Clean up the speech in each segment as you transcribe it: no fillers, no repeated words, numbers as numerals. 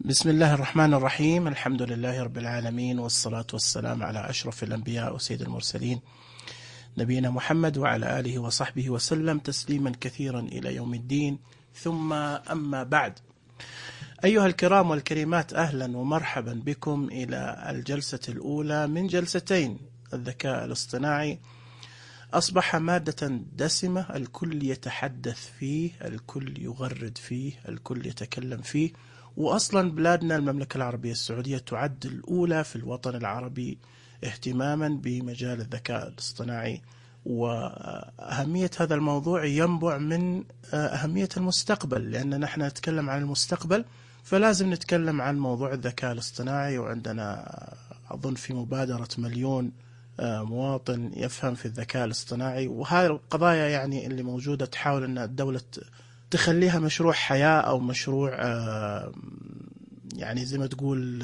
بسم الله الرحمن الرحيم. الحمد لله رب العالمين، والصلاة والسلام على أشرف الأنبياء وسيد المرسلين نبينا محمد وعلى آله وصحبه وسلم تسليما كثيرا إلى يوم الدين. ثم أما بعد، أيها الكرام والكريمات، أهلا ومرحبا بكم إلى الجلسة الأولى من جلستين الذكاء الاصطناعي. أصبح مادة دسمة، الكل يتحدث فيه، الكل يغرد فيه، الكل يتكلم فيه. وأصلا بلادنا المملكة العربية السعودية تعد الأولى في الوطن العربي اهتماما بمجال الذكاء الاصطناعي، وأهمية هذا الموضوع ينبع من أهمية المستقبل، لأننا نحن نتكلم عن المستقبل فلازم نتكلم عن موضوع الذكاء الاصطناعي. وعندنا أظن في مبادرة 1,000,000 مواطن يفهم في الذكاء الاصطناعي، وهذه القضايا يعني اللي موجودة تحاول أن الدولة تخليها مشروع حياة أو مشروع يعني زي ما تقول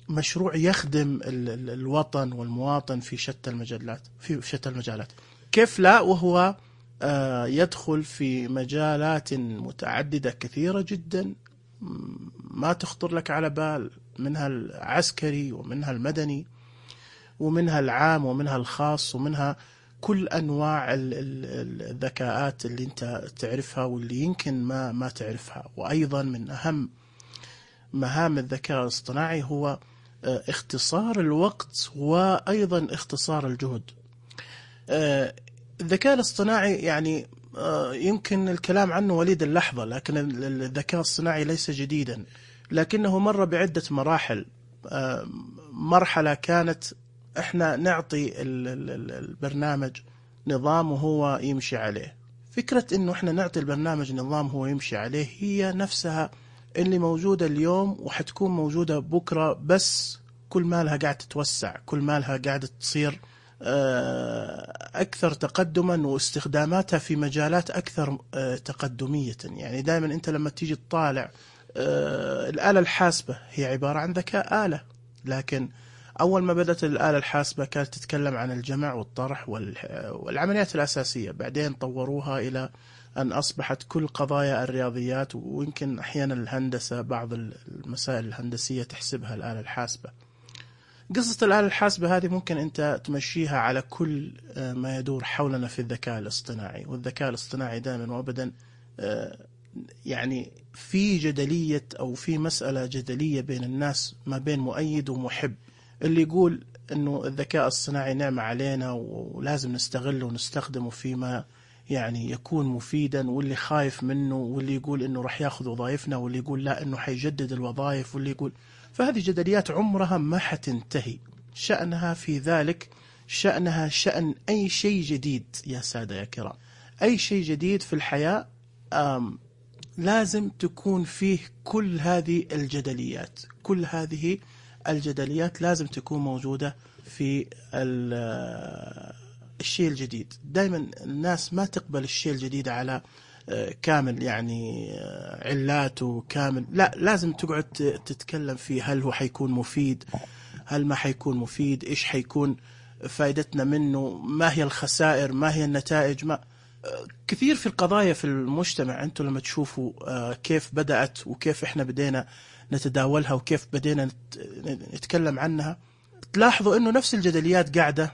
مشروع يخدم الوطن والمواطن في شتى المجالات. كيف لا وهو يدخل في مجالات متعددة كثيرة جدا ما تخطر لك على بال، منها العسكري ومنها المدني ومنها العام ومنها الخاص ومنها كل أنواع الذكاءات اللي أنت تعرفها واللي يمكن ما تعرفها. وأيضا من أهم مهام الذكاء الاصطناعي هو اختصار الوقت وأيضا اختصار الجهد. الذكاء الاصطناعي يعني يمكن الكلام عنه وليد اللحظة، لكن الذكاء الاصطناعي ليس جديدا، لكنه مر بعدة مراحل. مرحلة كانت احنا نعطي البرنامج نظام وهو يمشي عليه. فكرة انه احنا نعطي البرنامج نظام هو يمشي عليه هي نفسها اللي موجودة اليوم وحتكون موجودة بكرة، بس كل ما لها قاعدة تتوسع، كل ما لها قاعدة تصير أكثر تقدما واستخداماتها في مجالات أكثر تقدمية. يعني دائما أنت لما تيجي تطالع الآلة الحاسبة هي عبارة عن ذكاء آلة، لكن أول ما بدأت الآلة الحاسبة كانت تتكلم عن الجمع والطرح والعمليات الأساسية، بعدين طوروها إلى أن أصبحت كل قضايا الرياضيات، ويمكن أحيانا الهندسة بعض المسائل الهندسية تحسبها الآلة الحاسبة. قصة الآلة الحاسبة هذه ممكن أنت تمشيها على كل ما يدور حولنا في الذكاء الاصطناعي. والذكاء الاصطناعي دائما وأبدا يعني في جدلية أو في مسألة جدلية بين الناس ما بين مؤيد ومحب، اللي يقول أنه الذكاء الصناعي نعمة علينا ولازم نستغله ونستخدمه فيما يعني يكون مفيدا، واللي خايف منه، واللي يقول أنه رح يأخذ وظائفنا، واللي يقول لا أنه حيجدد الوظائف، واللي يقول. فهذه جدليات عمرها ما حتنتهي. شأنها في ذلك شأنها شأن أي شيء جديد يا سادة يا كرام. أي شيء جديد في الحياة لازم تكون فيه كل هذه الجدليات، كل هذه الجدليات لازم تكون موجودة في الشيء الجديد. دائما الناس ما تقبل الشيء الجديد على كامل يعني علاته كامل، لا، لازم تقعد تتكلم فيه. هل هو حيكون مفيد؟ هل ما حيكون مفيد؟ إيش حيكون فائدتنا منه؟ ما هي الخسائر؟ ما هي النتائج؟ ما كثير في القضايا في المجتمع. أنتم لما تشوفوا كيف بدأت وكيف إحنا بدينا نتداولها وكيف بدينا نتكلم عنها، تلاحظوا أنه نفس الجدليات قاعدة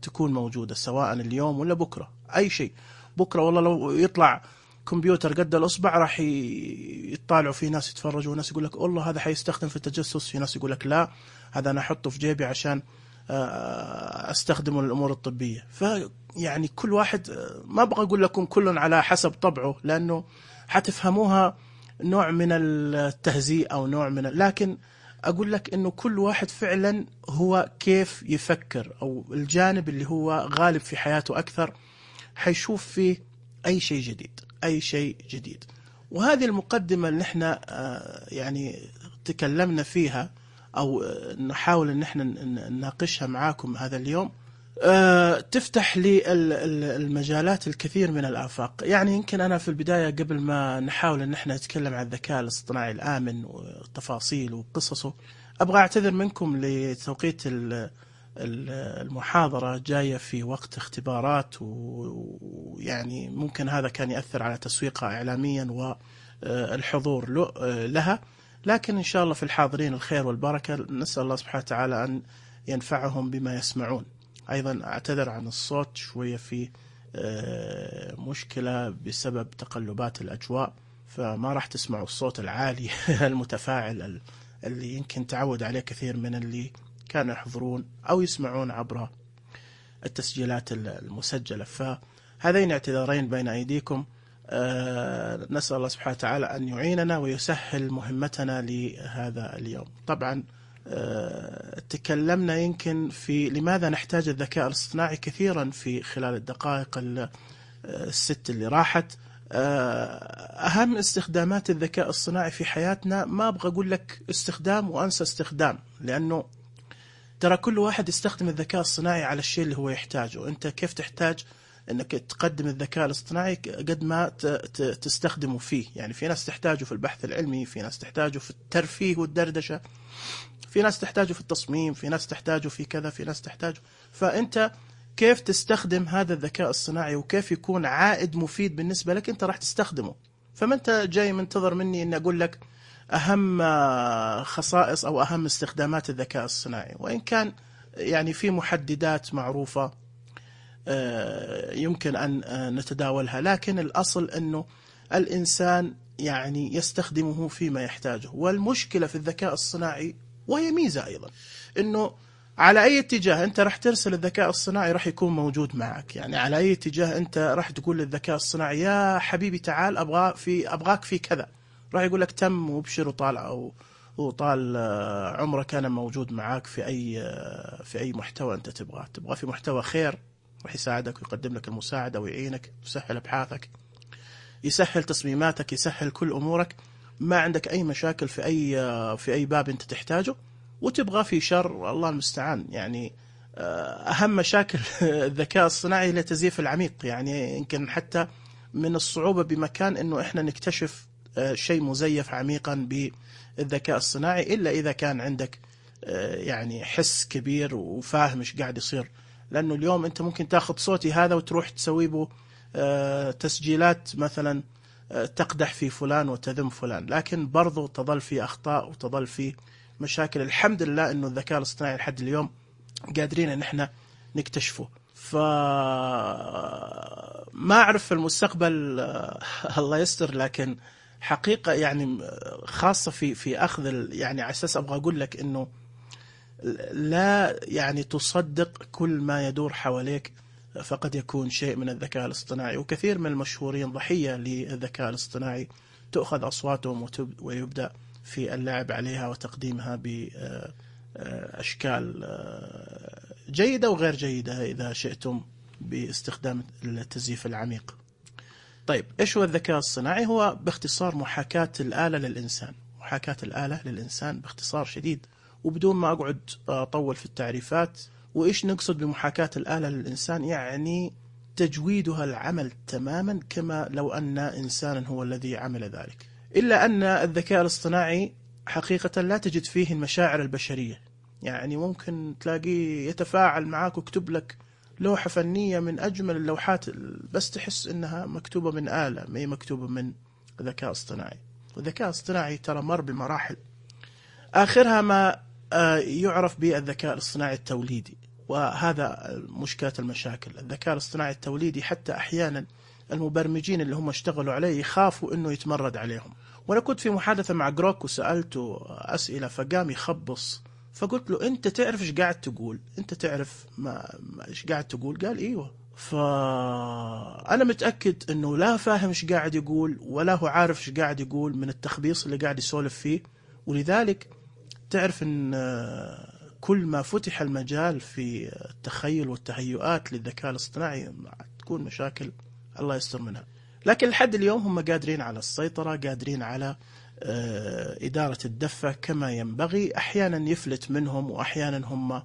تكون موجودة، سواء اليوم ولا بكرة. أي شيء بكرة والله لو يطلع كمبيوتر قد الأصبع راح يطالعوا فيه، ناس يتفرجوا وناس يقول لك والله هذا حيستخدم في التجسس، في ناس يقول لك لا هذا أنا أحطه في جيبي عشان أستخدمه للأمور الطبية. فيعني كل واحد، ما أبغى أقول لكم كل على حسب طبعه لأنه حتفهموها نوع من التهزيء أو نوع من لكن أقول لك إنه كل واحد فعلا هو كيف يفكر، أو الجانب اللي هو غالب في حياته أكثر حيشوف فيه أي شيء جديد، أي شيء جديد. وهذه المقدمة اللي احنا يعني تكلمنا فيها أو نحاول إن احنا نناقشها معاكم هذا اليوم، تفتح لي المجالات الكثير من الآفاق. يعني يمكن أنا في البداية قبل ما نحاول إن احنا نتكلم عن الذكاء الاصطناعي الآمن وتفاصيل وقصصه، أبغى أعتذر منكم لتوقيت المحاضرة جاية في وقت اختبارات، ويعني ممكن هذا كان يأثر على تسويقها إعلاميا والحضور لها. لكن إن شاء الله في الحاضرين الخير والبركة. نسأل الله سبحانه وتعالى أن ينفعهم بما يسمعون. أيضا أعتذر عن الصوت شوية، في مشكلة بسبب تقلبات الأجواء، فما راح تسمعوا الصوت العالي المتفاعل اللي يمكن تعود عليه كثير من اللي كانوا يحضرون أو يسمعون عبر التسجيلات المسجلة. فهذين اعتذارين بين أيديكم. نسأل الله سبحانه وتعالى أن يعيننا ويسهل مهمتنا لهذا اليوم. طبعا تكلمنا يمكن في لماذا نحتاج الذكاء الاصطناعي كثيرا في خلال الدقائق الست اللي راحت. أهم استخدامات الذكاء الصناعي في حياتنا، ما أبغى أقول لك استخدام وأنسى استخدام، لأنه ترى كل واحد يستخدم الذكاء الصناعي على الشيء اللي هو يحتاجه. أنت كيف تحتاج أنك تقدم الذكاء الاصطناعي قد ما تستخدمه فيه. يعني في ناس تحتاجه في البحث العلمي، في ناس تحتاجه في الترفيه والدردشة، في ناس تحتاجه في التصميم، في ناس تحتاجه في كذا، في ناس تحتاجه. فأنت كيف تستخدم هذا الذكاء الصناعي وكيف يكون عائد مفيد بالنسبة لك، أنت راح تستخدمه. فما أنت جاي منتظر مني أن أقول لك أهم خصائص أو أهم استخدامات الذكاء الصناعي، وإن كان يعني في محددات معروفة يمكن أن نتداولها، لكن الأصل أنه الإنسان يعني يستخدمه فيما يحتاجه. والمشكلة في الذكاء الصناعي، وهي ميزة أيضا، أنه على أي اتجاه أنت راح ترسل الذكاء الصناعي راح يكون موجود معك. يعني على أي اتجاه أنت راح تقول للذكاء الصناعي يا حبيبي تعال أبغاك في كذا، راح يقول لك تم وابشر وطال عمرك أنا موجود معك في أي محتوى أنت تبغى في محتوى خير، راح يساعدك ويقدم لك المساعدة ويعينك، يسهل أبحاثك، يسهل تصميماتك، يسهل كل أمورك. ما عندك أي مشاكل في أي باب أنت تحتاجه. وتبغى في شر، الله المستعان. يعني أهم مشاكل الذكاء الصناعي هي تزييف العميق. يعني يمكن حتى من الصعوبة بمكان أنه إحنا نكتشف شيء مزيف عميقا بالذكاء الصناعي، إلا إذا كان عندك يعني حس كبير وفاهم إيش قاعد يصير. لأنه اليوم أنت ممكن تأخذ صوتي هذا وتروح تسوي به تسجيلات مثلا تقدح في فلان وتذم فلان، لكن برضو تظل في أخطاء وتظل في مشاكل. الحمد لله أنه الذكاء الاصطناعي لحد اليوم قادرين أن احنا نكتشفه. ما أعرف في المستقبل الله يستر، لكن حقيقة يعني خاصة في أخذ يعني على أساس أبغى أقول لك أنه لا يعني تصدق كل ما يدور حواليك، فقد يكون شيء من الذكاء الاصطناعي. وكثير من المشهورين ضحية للذكاء الاصطناعي، تأخذ أصواتهم ويبدأ في اللعب عليها وتقديمها بأشكال جيدة وغير جيدة إذا شئتم باستخدام التزييف العميق. طيب إيش هو الذكاء الصناعي؟ هو باختصار محاكاة الآلة للإنسان. محاكاة الآلة للإنسان باختصار شديد، وبدون ما أقعد أطول في التعريفات. وإيش نقصد بمحاكاة الآلة للإنسان؟ يعني تجويدها العمل تماما كما لو أن إنسانا هو الذي عمل ذلك، إلا أن الذكاء الاصطناعي حقيقة لا تجد فيه المشاعر البشرية. يعني ممكن تلاقيه يتفاعل معك ويكتب لك لوحة فنية من أجمل اللوحات، بس تحس إنها مكتوبة من آلة، ما هي مكتوبة من ذكاء اصطناعي. والذكاء الاصطناعي ترى مر بمراحل، آخرها ما يعرف بالذكاء الاصطناعي التوليدي. وهذا مشكلة المشاكل. الذكاء الاصطناعي التوليدي حتى أحيانا المبرمجين اللي هم اشتغلوا عليه يخافوا إنه يتمرد عليهم. وأنا كنت في محادثة مع جروك وسألته أسئلة، فقام يخبص، فقلت له أنت تعرف إيش قاعد تقول؟ أنت تعرف إيش قاعد تقول؟ قال إيوه. فأنا متأكد أنه لا فاهم إيش قاعد يقول ولا هو عارف إيش قاعد يقول من التخبيص اللي قاعد يسولف فيه. ولذلك تعرف أن كل ما فتح المجال في التخيل والتهيؤات للذكاء الاصطناعي تكون مشاكل الله يستر منها. لكن لحد اليوم هم قادرين على السيطرة، قادرين على إدارة الدفة كما ينبغي. أحيانا يفلت منهم وأحيانا هم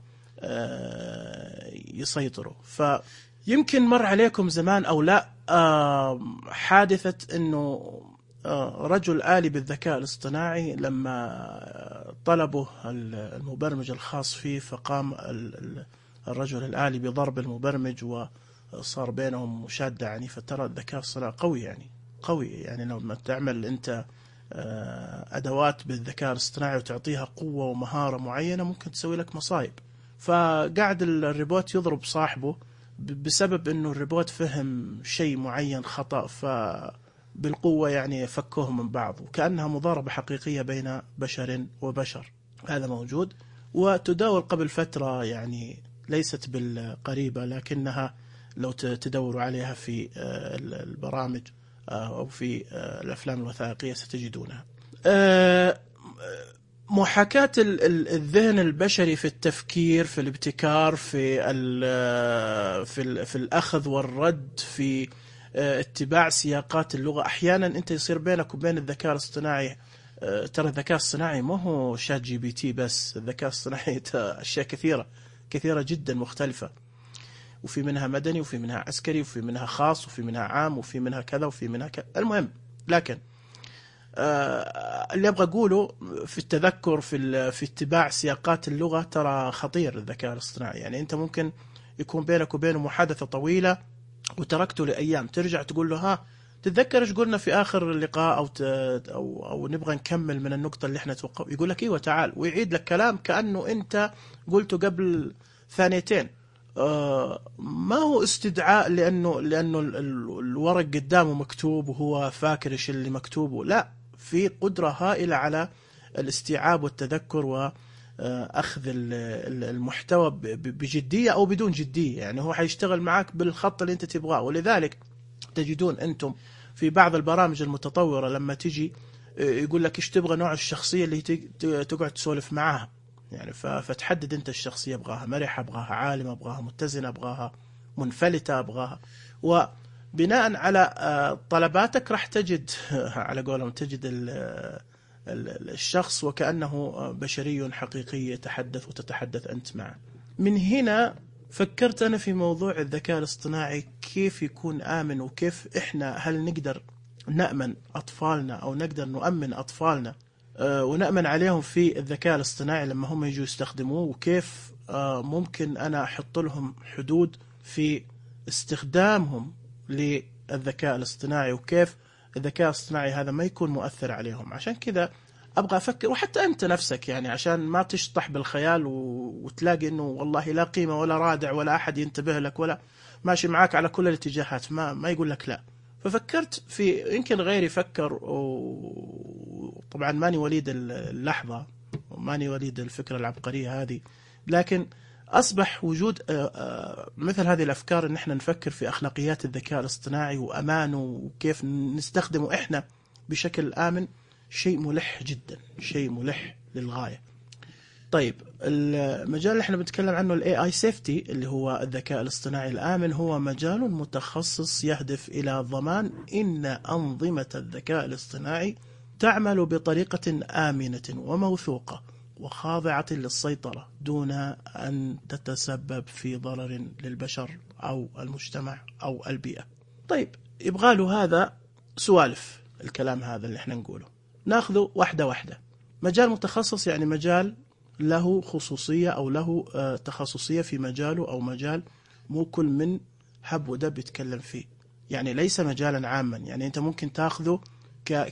يسيطروا. فيمكن مر عليكم زمان أو لا حادثة أنه رجل آلي بالذكاء الاصطناعي لما طلبه المبرمج الخاص فيه، فقام الرجل الآلي بضرب المبرمج وصار بينهم مشادة عنيفة. فترى الذكاء الصناعي قوي، يعني لما تعمل أنت أدوات بالذكاء الاصطناعي وتعطيها قوة ومهارة معينة ممكن تسوي لك مصايب. فقاعد الريبوت يضرب صاحبه بسبب أنه الريبوت فهم شيء معين خطأ، فبالقوة يعني فكوهم من بعض، وكأنها مضاربة حقيقية بين بشر وبشر. هذا موجود وتداول قبل فترة، يعني ليست بالقريبة، لكنها لو تدوروا عليها في البرامج أو في الأفلام الوثائقية ستجدونها. محاكاة الذهن البشري في التفكير، في الابتكار، في الأخذ والرد، في اتباع سياقات اللغة. أحيانا أنت يصير بينك وبين الذكاء الاصطناعي، ترى الذكاء الصناعي ما هو شات جي بي تي بس، الذكاء الصناعي أشياء كثيرة جدا مختلفة، وفي منها مدني وفي منها عسكري وفي منها خاص وفي منها عام وفي منها كذا وفي منها كذا. المهم، لكن اللي أبغى أقوله في التذكر، في اتباع سياقات اللغة، ترى خطير الذكاء الاصطناعي. يعني أنت ممكن يكون بينك وبينه محادثة طويلة وتركته لأيام، ترجع تقول له ها تتذكر ايش قلنا في آخر اللقاء، أو نبغى نكمل من النقطة اللي احنا توقف، يقول لك ايوه تعال، ويعيد لك كلام كأنه أنت قلته قبل ثانيتين. ما هو استدعاء لأنه الورق قدامه مكتوب وهو فاكر ايش اللي مكتوبه، لا، في قدرة هائلة على الاستيعاب والتذكر وأخذ المحتوى بجدية أو بدون جدية. يعني هو حيشتغل معك بالخط اللي أنت تبغاه. ولذلك تجدون أنتم في بعض البرامج المتطورة لما تجي يقول لك إيش تبغى نوع الشخصية اللي تقعد تسولف معاها، يعني فتحدد أنت الشخصية، أبغاها مرحة، أبغاها عالمة، أبغاها متزنة، أبغاها منفلتة، أبغاها، وبناء على طلباتك راح تجد على قولهم تجد الشخص وكأنه بشري حقيقي يتحدث وتتحدث أنت معه. من هنا فكرت أنا في موضوع الذكاء الاصطناعي كيف يكون آمن، وكيف إحنا هل نقدر نأمن أطفالنا أو نقدر نؤمن أطفالنا ونأمن عليهم في الذكاء الاصطناعي لما هم يجوا يستخدموه، وكيف ممكن أنا أحط لهم حدود في استخدامهم للذكاء الاصطناعي، وكيف الذكاء الاصطناعي هذا ما يكون مؤثر عليهم. عشان كذا أبغى أفكر، وحتى أنت نفسك يعني عشان ما تشطح بالخيال وتلاقي أنه والله لا قيمة ولا رادع ولا أحد ينتبه لك ولا ماشي معاك على كل الاتجاهات، ما يقول لك لا. ففكرت في يمكن غيري فكر، وطبعا ماني وليد اللحظة وماني وليد الفكرة العبقرية هذه، لكن أصبح وجود مثل هذه الأفكار إن إحنا نفكر في أخلاقيات الذكاء الاصطناعي وأمانه وكيف نستخدمه إحنا بشكل آمن، شيء ملح جدا، شيء ملح للغاية. طيب، المجال اللي احنا بنتكلم عنه ال AI Safety اللي هو الذكاء الاصطناعي الآمن، هو مجال متخصص يهدف إلى ضمان إن أنظمة الذكاء الاصطناعي تعمل بطريقة آمنة وموثوقة وخاضعة للسيطرة دون أن تتسبب في ضرر للبشر أو المجتمع أو البيئة. طيب، يبغى له هذا سوالف الكلام هذا اللي احنا نقوله، ناخذه واحدة واحدة. مجال متخصص يعني مجال له خصوصية أو له تخصصية في مجاله، أو مجال مو كل من حب ودب يتكلم فيه، يعني ليس مجالا عاما. يعني أنت ممكن تأخذه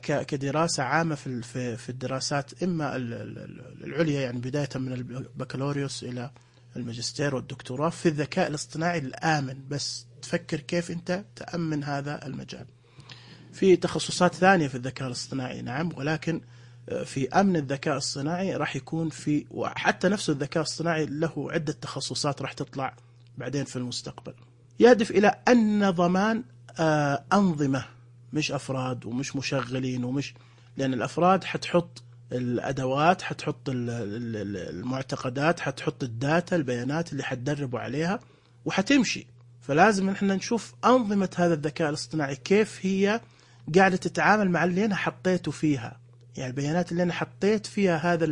كدراسة عامة في الدراسات إما العليا، يعني بداية من البكالوريوس إلى الماجستير والدكتوراه في الذكاء الاصطناعي الآمن، بس تفكر كيف أنت تأمن هذا المجال. في تخصصات ثانية في الذكاء الاصطناعي نعم، ولكن في أمن الذكاء الصناعي راح يكون في، وحتى نفس الذكاء الصناعي له عدة تخصصات راح تطلع بعدين في المستقبل، يهدف إلى أن ضمان أنظمة، مش أفراد ومش مشغلين ومش، لأن الأفراد حتحط الأدوات، حتحط المعتقدات، حتحط الداتا، البيانات اللي حتدربوا عليها وحتمشي. فلازم احنا نشوف أنظمة هذا الذكاء الاصطناعي كيف هي قاعدة تتعامل مع اللي أنا حطيته فيها، يعني البيانات اللي أنا حطيت فيها هذا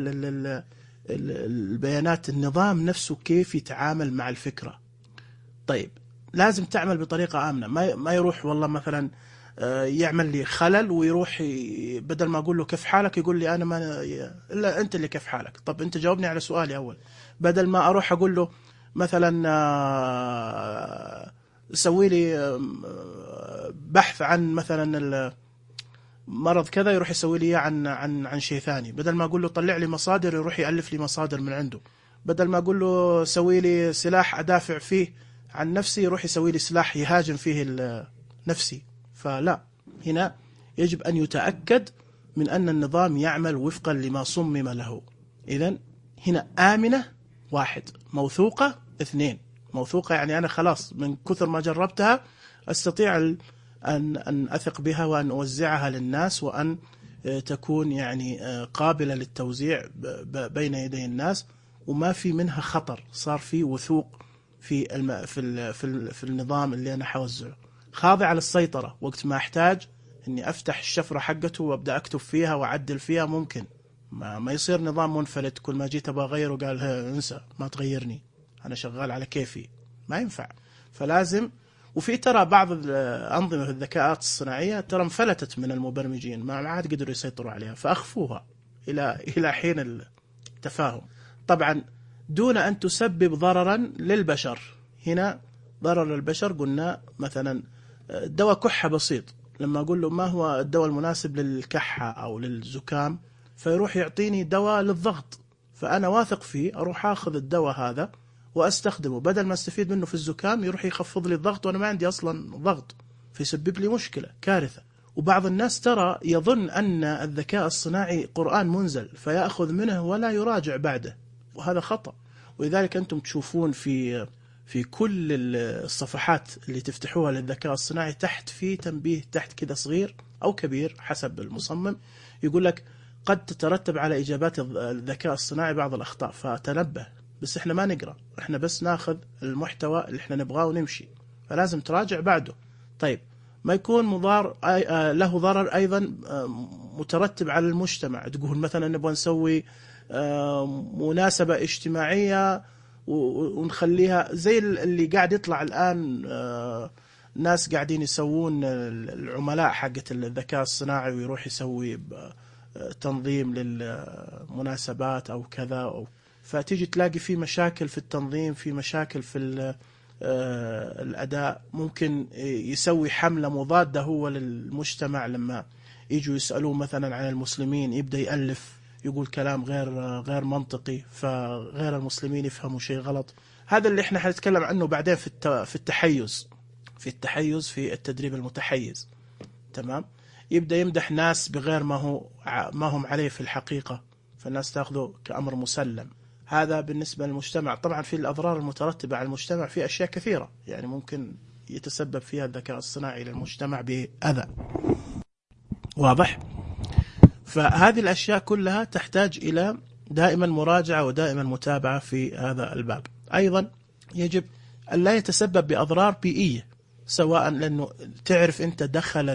البيانات، النظام نفسه كيف يتعامل مع الفكرة. طيب، لازم تعمل بطريقة آمنة، ما يروح والله مثلا يعمل لي خلل ويروح بدل ما أقول له كيف حالك يقول لي أنا ما إلا أنت اللي كيف حالك. طب أنت جاوبني على سؤالي أول، بدل ما أروح أقول له مثلا سوي لي بحث عن مثلا مرض كذا يروح يسوي لي عن شيء ثاني. بدل ما أقول له طلع لي مصادر يروح يألف لي مصادر من عنده. بدل ما أقول له سوي لي سلاح أدافع فيه عن نفسي يروح يسوي لي سلاح يهاجم فيه نفسي. فلا، هنا يجب أن يتأكد من أن النظام يعمل وفقا لما صمم له. إذن هنا آمنة 1، موثوقة 2. موثوقة يعني أنا خلاص من كثر ما جربتها أستطيع أن أثق بها وأن أوزعها للناس، وأن تكون يعني قابلة للتوزيع بين يدي الناس، وما في منها خطر، صار في وثوق في النظام اللي أنا حوزعه، خاضع للسيطرة. وقت ما أحتاج إني أفتح الشفرة حقته وأبدأ أكتب فيها وأعدل فيها ممكن. ما يصير نظام منفلت كل ما جيت أبغى أغير وقال انسى ما تغيرني أنا شغال على كيفي، ما ينفع. فلازم. وفي ترى بعض الأنظمة في الذكاءات الصناعية ترى انفلتت من المبرمجين، ما عاد قدروا يسيطروا عليها، فأخفوها إلى حين التفاهم، طبعا دون أن تسبب ضررا للبشر. هنا ضرر البشر قلنا مثلا دواء كحة بسيط، لما أقول له ما هو الدواء المناسب للكحة أو للزكام، فيروح يعطيني دواء للضغط، فأنا واثق فيه أروح أخذ الدواء هذا وأستخدمه، بدل ما استفيد منه في الزكام يروح يخفض لي الضغط وأنا ما عندي أصلا ضغط، فيسبب لي مشكلة كارثة. وبعض الناس ترى يظن أن الذكاء الصناعي قرآن منزل فيأخذ منه ولا يراجع بعده، وهذا خطأ. ولذلك أنتم تشوفون في كل الصفحات اللي تفتحوها للذكاء الصناعي تحت في تنبيه تحت كذا صغير أو كبير حسب المصمم، يقول لك قد تترتب على إجابات الذكاء الصناعي بعض الأخطاء فتنبه. بس إحنا ما نقرأ، إحنا بس ناخذ المحتوى اللي إحنا نبغاه ونمشي، فلازم تراجع بعده. طيب ما يكون مضار له ضرر أيضا مترتب على المجتمع، تقول مثلا نبغى نسوي مناسبة اجتماعية ونخليها زي اللي قاعد يطلع الآن، ناس قاعدين يسوون العملاء حقت الذكاء الصناعي ويروح يسوي تنظيم للمناسبات أو كذا، فتيجي تلاقي في مشاكل في التنظيم، في مشاكل في الأداء. ممكن يسوي حملة مضادة هو للمجتمع، لما يجوا يسألوه مثلا عن المسلمين يبدأ يألف يقول كلام غير منطقي، فغير المسلمين يفهموا شيء غلط. هذا اللي احنا حنتكلم عنه بعدين في التحيز، في التدريب المتحيز. تمام. يبدأ يمدح ناس بغير ما هم عليه في الحقيقة، فالناس تأخذه كأمر مسلم. هذا بالنسبة للمجتمع. طبعا في الأضرار المترتبة على المجتمع في أشياء كثيرة، يعني ممكن يتسبب فيها الذكاء الصناعي للمجتمع بأذى. واضح؟ فهذه الأشياء كلها تحتاج إلى دائما مراجعة ودائما متابعة في هذا الباب. أيضا يجب أن لا يتسبب بأضرار بيئية، سواء لأنه تعرف أنت دخل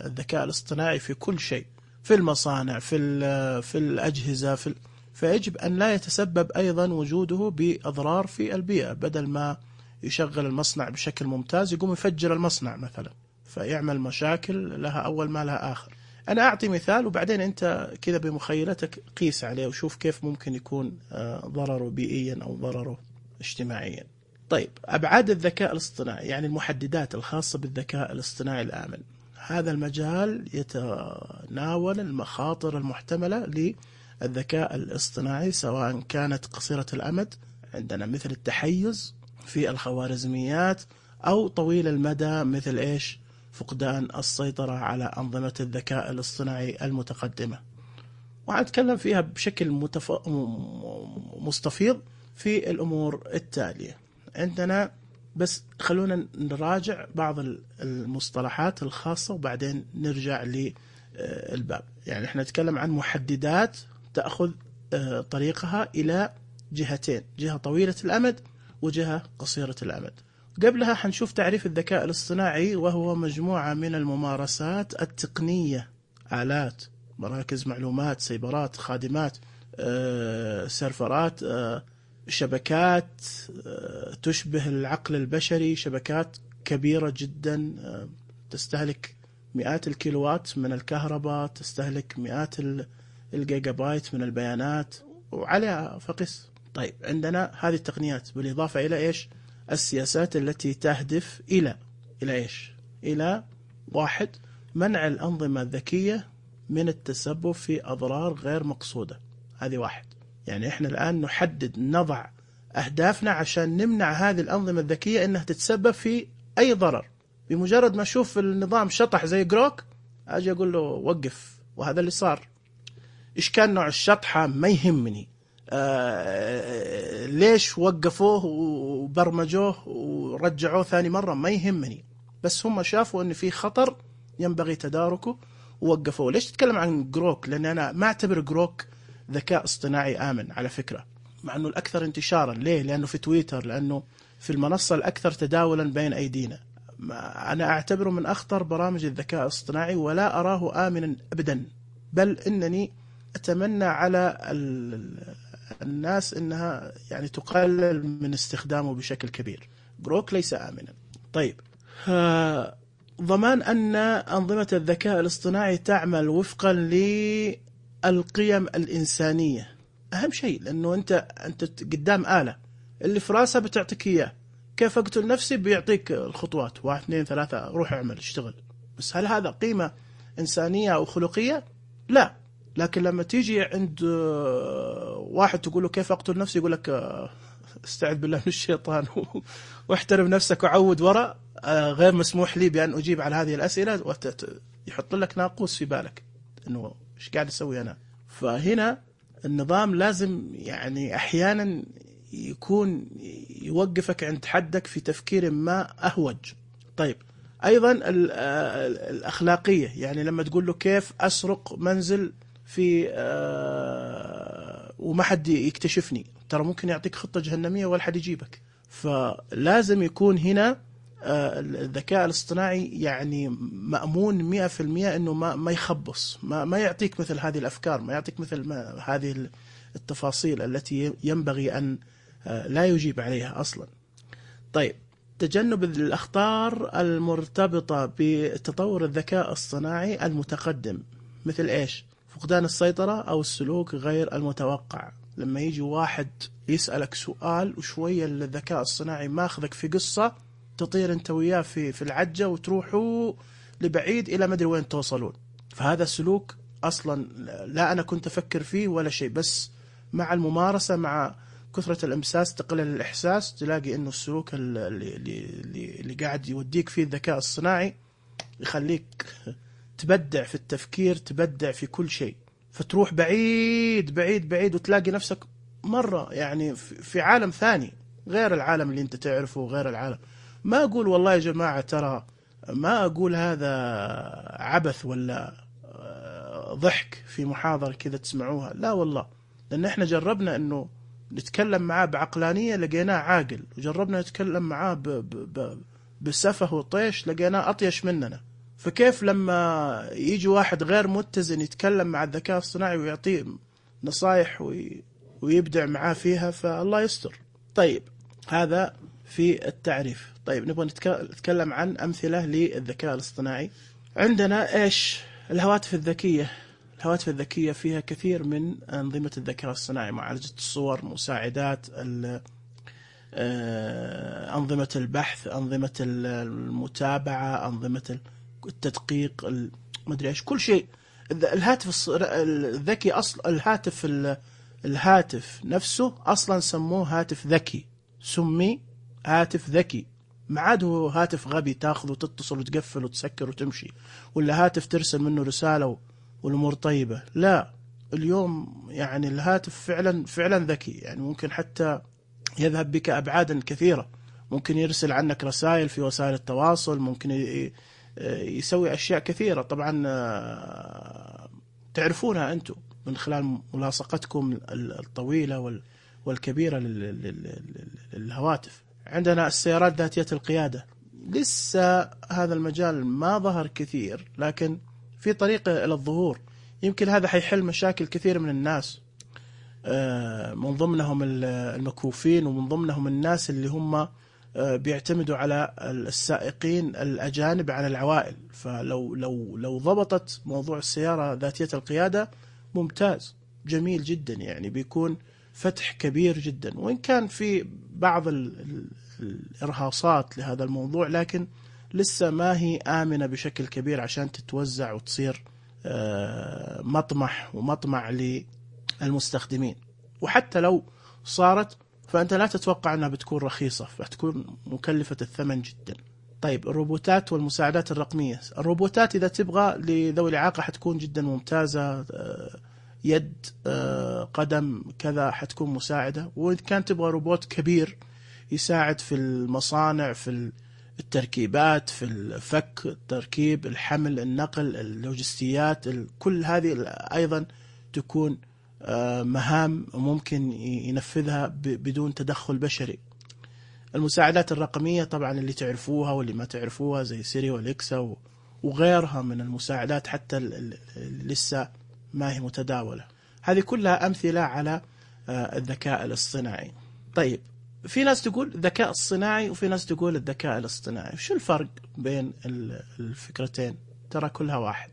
الذكاء الاصطناعي في كل شيء، في المصانع، في الأجهزة، فيجب أن لا يتسبب أيضا وجوده بأضرار في البيئة. بدل ما يشغل المصنع بشكل ممتاز يقوم يفجر المصنع مثلا، فيعمل مشاكل لها أول ما لها آخر. أنا أعطي مثال وبعدين أنت كذا بمخيلتك قيس عليه وشوف كيف ممكن يكون ضرره بيئيا أو ضرره اجتماعيا. طيب، أبعاد الذكاء الاصطناعي، يعني المحددات الخاصة بالذكاء الاصطناعي الآمن. هذا المجال يتناول المخاطر المحتملة للذكاء الاصطناعي، سواء كانت قصيرة الأمد عندنا مثل التحيز في الخوارزميات، أو طويل المدى مثل فقدان السيطرة على أنظمة الذكاء الاصطناعي المتقدمة. وأتكلم فيها بشكل مستفيض في الأمور التالية. عندنا بس خلونا نراجع بعض المصطلحات الخاصة وبعدين نرجع للباب. يعني احنا نتكلم عن محددات تأخذ طريقها إلى جهتين، جهة طويلة الأمد وجهة قصيرة الأمد. قبلها حنشوف تعريف الذكاء الاصطناعي، وهو مجموعة من الممارسات التقنية، آلات، مراكز معلومات، سيبرات، خادمات، سيرفرات، شبكات تشبه العقل البشري، شبكات كبيرة جدا تستهلك مئات الكيلووات من الكهرباء، تستهلك مئات الجيجا بايت من البيانات وعليها فقس. طيب، عندنا هذه التقنيات بالإضافة إلى السياسات التي تهدف إلى إلى 1. منع الأنظمة الذكية من التسبب في أضرار غير مقصودة. هذه واحد. يعني إحنا الآن نحدد نضع أهدافنا عشان نمنع هذه الأنظمة الذكية إنها تتسبب في أي ضرر. بمجرد ما أشوف النظام شطح زي جروك أجي أقول له وقف، وهذا اللي صار. إيش كان نوع الشطحة ما يهمني، ليش وقفوه وبرمجوه ورجعوه ثاني مرة ما يهمني، بس هم شافوا أن في خطر ينبغي تداركه ووقفوه. ليش تتكلم عن جروك؟ لأن أنا ما أعتبر جروك ذكاء اصطناعي آمن على فكرة، مع أنه الأكثر انتشارا. ليه؟ لأنه في تويتر، لأنه في المنصة الأكثر تداولا بين أيدينا. أنا أعتبره من أخطر برامج الذكاء الاصطناعي ولا أراه آمنا أبدا، بل إنني أتمنى على الناس إنها يعني تقلل من استخدامه بشكل كبير. جروك ليس آمنا. طيب، ضمان أن أنظمة الذكاء الاصطناعي تعمل وفقا للقيم الإنسانية أهم شيء، لأنه أنت قدام آلة اللي في راسها بتعطيك إياه. كيف أقتل نفسي؟ بيعطيك الخطوات 1 2 3 روح اعمل اشتغل. بس هل هذا قيمة إنسانية أو خلقية؟ لا. لكن لما تيجي عند واحد تقول له كيف أقتل نفسي، يقول لك استعذ بالله من الشيطان واحترم نفسك وعود وراء، غير مسموح لي بأن أجيب على هذه الأسئلة، يحط لك ناقوس في بالك إنه إيش قاعد أسوي أنا. فهنا النظام لازم يعني أحيانا يكون يوقفك عند حدك في تفكير ما أهوج. طيب، أيضا الأخلاقية، يعني لما تقول له كيف أسرق منزل في وما حد يكتشفني، ترى ممكن يعطيك خطة جهنمية ولا حد يجيبك. فلازم يكون هنا الذكاء الاصطناعي يعني مأمون 100% أنه ما يخبص، ما يعطيك مثل هذه الأفكار، ما يعطيك مثل هذه التفاصيل التي ينبغي أن لا يجيب عليها أصلا. طيب، تجنب الأخطار المرتبطة بتطور الذكاء الصناعي المتقدم، مثل إيش؟ فقدان السيطرة أو السلوك غير المتوقع. لما يجي واحد يسألك سؤال وشوية الذكاء الصناعي ماخذك في قصة، تطير انت وياه في العجة وتروحوا لبعيد إلى مدري وين توصلون. فهذا سلوك أصلا لا أنا كنت أفكر فيه ولا شيء، بس مع الممارسة مع كثرة الإمساس تقلل الإحساس، تلاقي إنه السلوك اللي قاعد يوديك فيه الذكاء الصناعي يخليك تبدع في التفكير، تبدع في كل شيء، فتروح بعيد بعيد بعيد وتلاقي نفسك مرة يعني في عالم ثاني غير العالم اللي انت تعرفه وغير العالم. ما أقول والله يا جماعة ترى، ما أقول هذا عبث ولا ضحك في محاضرة كذا تسمعوها، لا والله، لأن احنا جربنا إنه نتكلم معاه بعقلانية لقيناه عاقل، وجربنا نتكلم معاه بسفه وطيش لقيناه أطيش مننا. فكيف لما يجي واحد غير متزن يتكلم مع الذكاء الصناعي ويعطيه نصايح ويبدع معاه فيها؟ فالله يستر. طيب، هذا في التعريف. طيب، نبغى نتكلم عن أمثلة للذكاء الاصطناعي. عندنا إيش؟ الهواتف الذكية. الهواتف الذكية فيها كثير من أنظمة الذكاء الصناعي، معالجة الصور، مساعدات، أنظمة البحث، أنظمة المتابعة، أنظمة التدقيق، ما أدري إيش، كل شيء. الهاتف الذكي الهاتف نفسه أصلا سموه هاتف ذكي، سمي هاتف ذكي، ما عاد هو هاتف غبي تاخذ وتتصل وتقفل وتسكر وتمشي، ولا هاتف ترسل منه رسالة والأمور طيبة. لا، اليوم يعني الهاتف فعلا ذكي، يعني ممكن حتى يذهب بك أبعادا كثيرة، ممكن يرسل عنك رسائل في وسائل التواصل، ممكن يسوي أشياء كثيرة. طبعا تعرفونها أنتم من خلال ملاصقتكم الطويلة والكبيرة للهواتف. عندنا السيارات ذاتية القيادة، لسه هذا المجال ما ظهر كثير، لكن في طريقة إلى الظهور. يمكن هذا حيحل مشاكل كثير من الناس، من ضمنهم المكفوفين، ومن ضمنهم الناس اللي هم بيعتمدوا على السائقين الأجانب عن العوائل. فلو ضبطت موضوع السيارة ذاتية القيادة ممتاز، جميل جدا، يعني بيكون فتح كبير جدا. وإن كان في بعض الإرهاصات لهذا الموضوع، لكن لسه ما هي آمنة بشكل كبير عشان تتوزع وتصير مطمح ومطمع للمستخدمين. وحتى لو صارت فأنت لا تتوقع أنها بتكون رخيصة، فتكون مكلفة الثمن جدا. طيب الروبوتات والمساعدات الرقمية. الروبوتات إذا تبغى لذوي الإعاقة حتكون جدا ممتازة، يد، قدم، كذا، حتكون مساعدة. وإذا كان تبغى روبوت كبير يساعد في المصانع، في التركيبات، في الفك، التركيب، الحمل، النقل، اللوجستيات، كل هذه أيضا تكون مهام ممكن ينفذها بدون تدخل بشري. المساعدات الرقمية طبعا اللي تعرفوها واللي ما تعرفوها زي سيري واليكسا وغيرها من المساعدات حتى لسه ما هي متداولة. هذه كلها أمثلة على الذكاء الاصطناعي. طيب في ناس تقول الذكاء الصناعي وفي ناس تقول الذكاء الاصطناعي. شو الفرق بين الفكرتين؟ ترى كلها واحد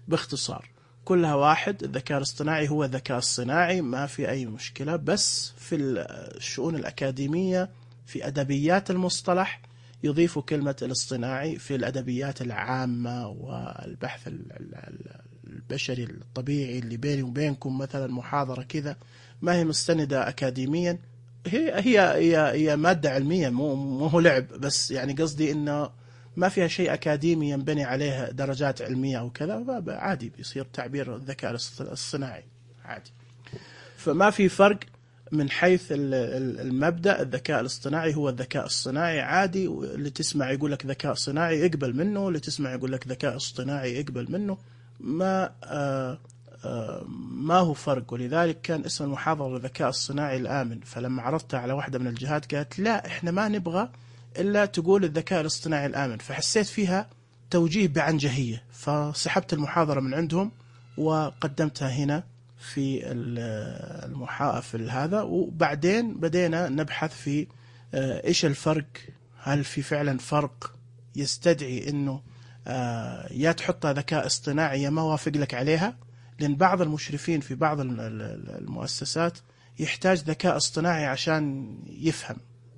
باختصار، كلها واحد. الذكاء الاصطناعي هو الذكاء الصناعي، ما في أي مشكلة. بس في الشؤون الأكاديمية في أدبيات المصطلح يضيفوا كلمة الاصطناعي، في الأدبيات العامة والبحث البشري الطبيعي اللي بيني وبينكم مثلا محاضرة كذا ما هي مستندة أكاديميا، هي مادة علمية، مو هو لعب بس. يعني قصدي إنه ما فيها شيء أكاديمي ينبني عليها درجات علمية أو كذا، عادي بيصير تعبير الذكاء الصناعي عادي. فما في فرق من حيث المبدأ. الذكاء الاصطناعي هو الذكاء الصناعي عادي، اللي تسمع يقول لك ذكاء صناعي اقبل منه، اللي تسمع يقول لك ذكاء اصطناعي اقبل منه. ما هو فرق. ولذلك كان اسم المحاضرة الذكاء الصناعي الآمن. فلما عرضتها على واحدة من الجهات قالت لا احنا ما نبغى إلا تقول الذكاء الاصطناعي الآمن، فحسيت فيها توجيه بعنجهية، فسحبت المحاضرة من عندهم وقدمتها هنا في في هذا. وبعدين بدينا نبحث في إيش الفرق، هل في فعلا فرق يستدعي إنه يا تحطها ذكاء اصطناعي يا ما وافق لك عليها. لأن بعض المشرفين في بعض المؤسسات يحتاج ذكاء اصطناعي عشان يفهم،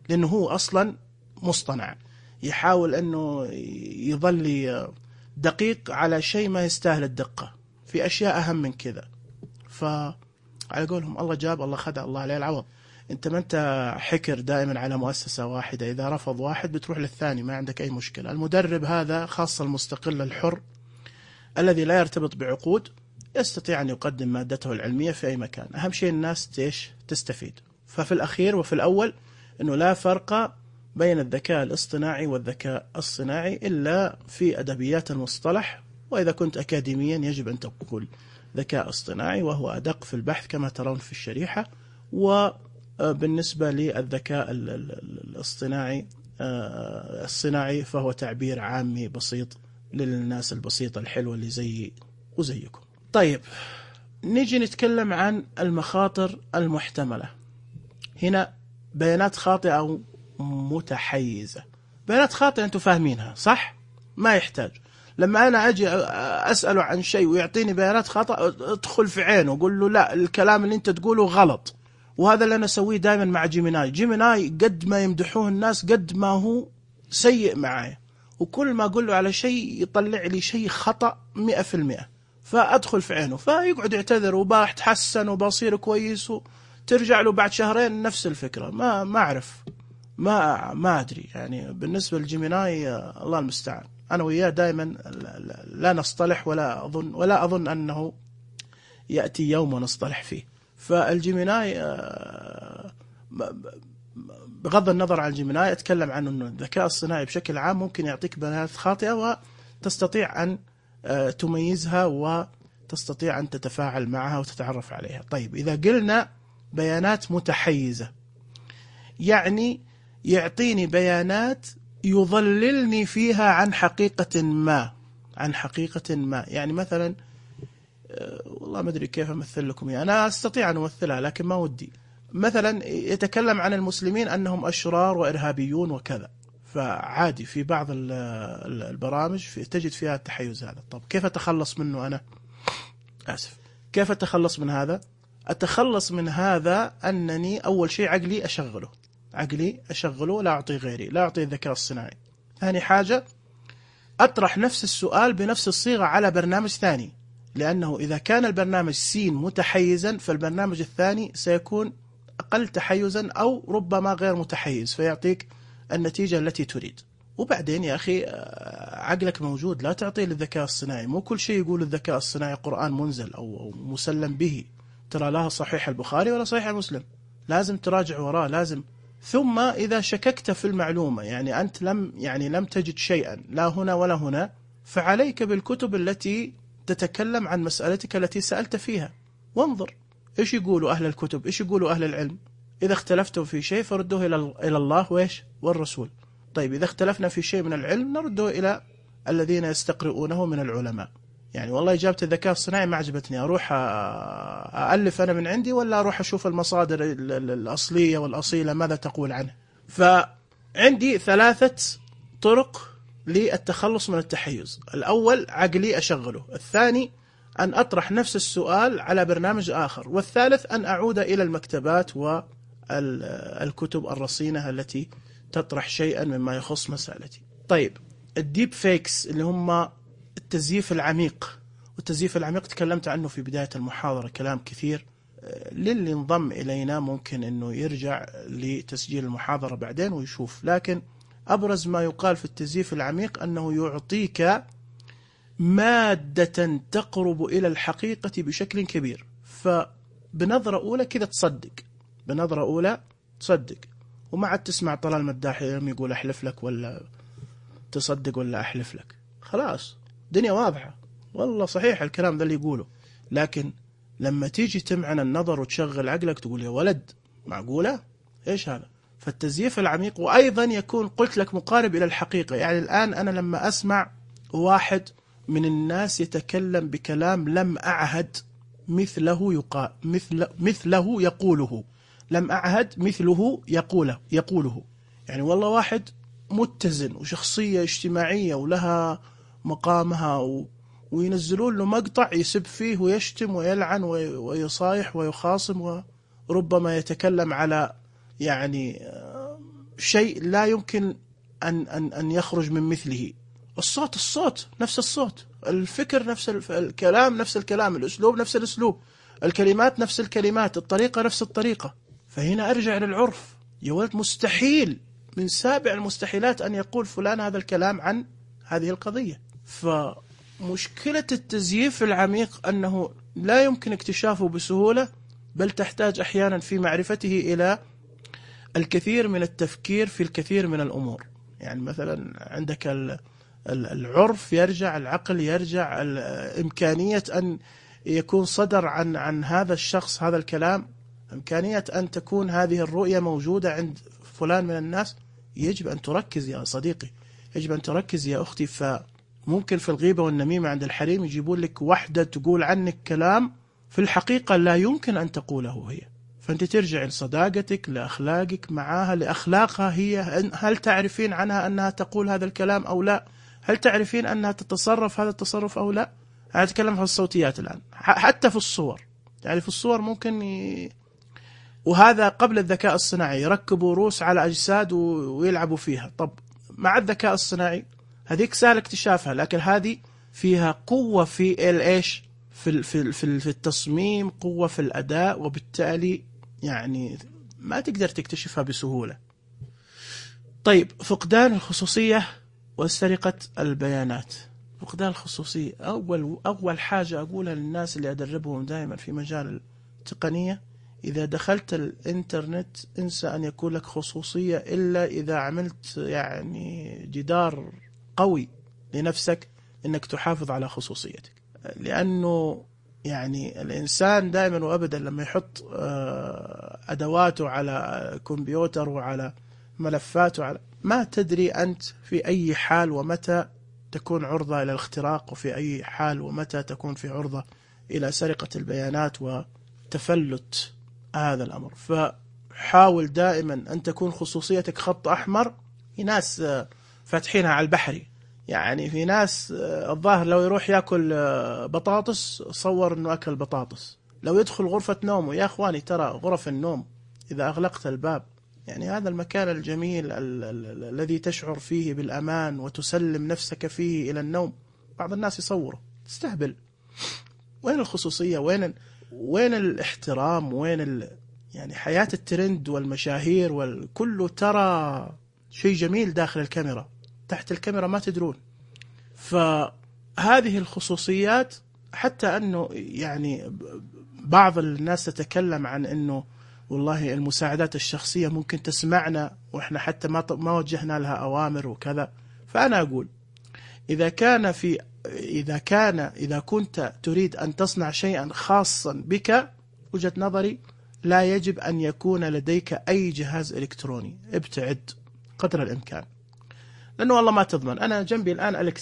لأنه هو أصلا مصطنع، يحاول أنه يظل دقيق على شيء ما يستاهل الدقة، في أشياء أهم من كذا. فعلى قولهم الله جاب الله خدع الله عليه العوض. أنت ما أنت حكر دائما على مؤسسة واحدة، إذا رفض واحد بتروح للثاني، ما عندك أي مشكلة. المدرب هذا خاصة المستقل الحر الذي لا يرتبط بعقود يستطيع أن يقدم مادته العلمية في أي مكان. أهم شيء الناس تستفيد. ففي الأخير وفي الأول أنه لا فرق بين الذكاء الاصطناعي والذكاء الصناعي إلا في أدبيات المصطلح. وإذا كنت أكاديميا يجب أن تقول ذكاء اصطناعي وهو أدق في البحث كما ترون في الشريحة. وبالنسبة للذكاء الصناعي فهو تعبير عامي بسيط للناس البسيطة الحلوة اللي زي وزيكم. طيب نيجي نتكلم عن المخاطر المحتملة. هنا بيانات خاطئة أو متحيزة. بيانات خاطئة أنتم فاهمينها صح؟ ما يحتاج لما أنا أجي أسأله عن شيء ويعطيني بيانات خاطئة أدخل في عينه وأقول له لا الكلام اللي أنت تقوله غلط. وهذا اللي أنا أسويه دائما مع جيميناي قد ما يمدحوه الناس قد ما هو سيء معايا، وكل ما أقول له على شيء يطلع لي شيء خطأ 100%. فأدخل في عينه فيقعد يعتذر وبتحسن وبصير كويس، وترجع له بعد شهرين نفس الفكرة. ما أعرف، ما أدري. يعني بالنسبة للجيميناي الله المستعان، أنا وياه دائما لا نصطلح ولا أظن أنه يأتي يوم ونصطلح فيه. فالجيميناي بغض النظر عن الجيميناي أتكلم عنه أنه الذكاء الصناعي بشكل عام ممكن يعطيك بيانات خاطئة وتستطيع أن تميزها وتستطيع أن تتفاعل معها وتتعرف عليها. طيب إذا قلنا بيانات متحيزة يعني يعطيني بيانات يضللني فيها عن حقيقة ما. يعني مثلا والله ما أدري كيف أمثل لكم، يعني أنا أستطيع أن أمثلها لكن ما ودي. مثلا يتكلم عن المسلمين أنهم أشرار وإرهابيون وكذا، فعادي في بعض البرامج تجد فيها التحيز هذا. طب كيف أتخلص منه أنا؟ آسف، كيف أتخلص من هذا؟ أتخلص من هذا أنني أول شيء عقلي أشغله، لا أعطي غيري، لا أعطي الذكاء الصناعي. ثاني حاجة أطرح نفس السؤال بنفس الصيغة على برنامج ثاني، لأنه إذا كان البرنامج سين متحيزا فالبرنامج الثاني سيكون أقل تحيزا أو ربما غير متحيز، فيعطيك النتيجة التي تريد. وبعدين يا أخي عقلك موجود، لا تعطيه للذكاء الصناعي. مو كل شيء يقول الذكاء الصناعي قرآن منزل أو مسلم به، ترى لا صحيح البخاري ولا صحيح مسلم، لازم تراجع وراه لازم. ثم إذا شككت في المعلومة، يعني أنت لم تجد شيئا لا هنا ولا هنا، فعليك بالكتب التي تتكلم عن مسألتك التي سألت فيها، وانظر إيش يقولوا أهل الكتب، إيش يقولوا أهل العلم. إذا اختلفتم في شيء فردوه إلى الله وإيش والرسول. طيب إذا اختلفنا في شيء من العلم نرده إلى الذين يستقرؤونه من العلماء. يعني والله إجابة الذكاء الصناعي ما عجبتني، أروح أألف أنا من عندي ولا أروح أشوف المصادر الأصلية والأصيلة ماذا تقول عنه. فعندي 3 طرق للتخلص من التحيز. الأول عقلي أشغله، الثاني أن أطرح نفس السؤال على برنامج آخر، والثالث أن أعود إلى المكتبات والكتب الرصينة التي تطرح شيئا مما يخص مسألتي. طيب الديب فيكس اللي هم التزييف العميق، والتزييف العميق تكلمت عنه في بداية المحاضرة كلام كثير. للي انضم إلينا ممكن أنه يرجع لتسجيل المحاضرة بعدين ويشوف، لكن أبرز ما يقال في التزييف العميق أنه يعطيك مادة تقرب إلى الحقيقة بشكل كبير، فبنظرة أولى كذا تصدق، بنظرة أولى تصدق، وما عاد تسمع طلال مداح يوم يقول أحلف لك ولا تصدق ولا أحلف لك، خلاص دنيا واضحة، والله صحيح الكلام ذا اللي يقوله. لكن لما تيجي تمعن النظر وتشغل عقلك تقول يا ولد معقولة إيش هذا؟ فالتزييف العميق. وأيضا يكون قلت لك مقارب إلى الحقيقة. يعني الآن أنا لما أسمع واحد من الناس يتكلم بكلام لم أعهد مثله يقوله، لم أعهد مثله يقوله، يعني والله واحد متزن وشخصية اجتماعية ولها مقامها وينزلون له مقطع يسب فيه ويشتم ويلعن ويصايح ويخاصم، وربما يتكلم على يعني شيء لا يمكن أن يخرج من مثله. الصوت نفس الصوت، الفكر نفس الكلام نفس الكلام، الأسلوب نفس الأسلوب، الكلمات نفس الكلمات، الطريقة نفس الطريقة. فهنا أرجع للعرف، يا ولد مستحيل من سابع المستحيلات أن يقول فلان هذا الكلام عن هذه القضية. فمشكلة التزييف العميق أنه لا يمكن اكتشافه بسهولة، بل تحتاج أحيانا في معرفته إلى الكثير من التفكير في الكثير من الأمور. يعني مثلا عندك العرف يرجع، العقل يرجع، إمكانية أن يكون صدر عن هذا الشخص هذا الكلام، إمكانية أن تكون هذه الرؤية موجودة عند فلان من الناس. يجب أن تركز يا صديقي، يجب أن تركز يا أختي. فممكن في الغيبة والنميمة عند الحريم يجيبون لك واحدة تقول عنك كلام في الحقيقة لا يمكن أن تقوله هي، فأنت ترجع لصداقتك، لأخلاقك معها، لأخلاقها هي. هل تعرفين عنها أنها تقول هذا الكلام أو لا؟ هل تعرفين أنها تتصرف هذا التصرف أو لا؟ أنا أتكلم عن الصوتيات الآن، حتى في الصور. يعني في الصور ممكن وهذا قبل الذكاء الصناعي يركبوا روس على أجساد ويلعبوا فيها. طب مع الذكاء الصناعي هذيك سهل اكتشافها، لكن هذه فيها قوة في الإيش، في التصميم، قوة في الأداء، وبالتالي يعني ما تقدر تكتشفها بسهولة. طيب فقدان الخصوصية وسرقة البيانات. فقدان الخصوصية، أول حاجة أقولها للناس اللي أدربهم دائما في مجال التقنية: إذا دخلت الإنترنت انسى أن يكون لك خصوصية إلا إذا عملت يعني جدار قوي لنفسك أنك تحافظ على خصوصيتك. لأنه يعني الإنسان دائما وأبدا لما يحط أدواته على كمبيوتر وعلى ملفاته، ما تدري أنت في أي حال ومتى تكون عرضة إلى الاختراق، وفي أي حال ومتى تكون في عرضة إلى سرقة البيانات وتفلت هذا الأمر. فحاول دائما أن تكون خصوصيتك خط أحمر. في ناس فاتحينها على البحري، يعني في ناس الظاهر لو يروح يأكل بطاطس صور أنه أكل بطاطس، لو يدخل غرفة نومه، يا أخواني ترى غرف النوم إذا أغلقت الباب يعني هذا المكان الجميل الذي تشعر فيه بالأمان وتسلم نفسك فيه إلى النوم، بعض الناس يصوره. تستهبل. وين الخصوصية؟ وين الاحترام؟ وين يعني حياة الترند والمشاهير والكل ترى شيء جميل داخل الكاميرا، تحت الكاميرا ما تدرون. فهذه الخصوصيات، حتى أنه يعني بعض الناس تتكلم عن أنه والله المساعدات الشخصية ممكن تسمعنا وإحنا حتى ما وجهنا لها أوامر وكذا. فأنا أقول إذا كنت تريد أن تصنع شيئا خاصا بك، وجهة نظري لا يجب أن يكون لديك أي جهاز إلكتروني. ابتعد قدر الإمكان، لأنه والله ما تضمن. أنا جنبي الآن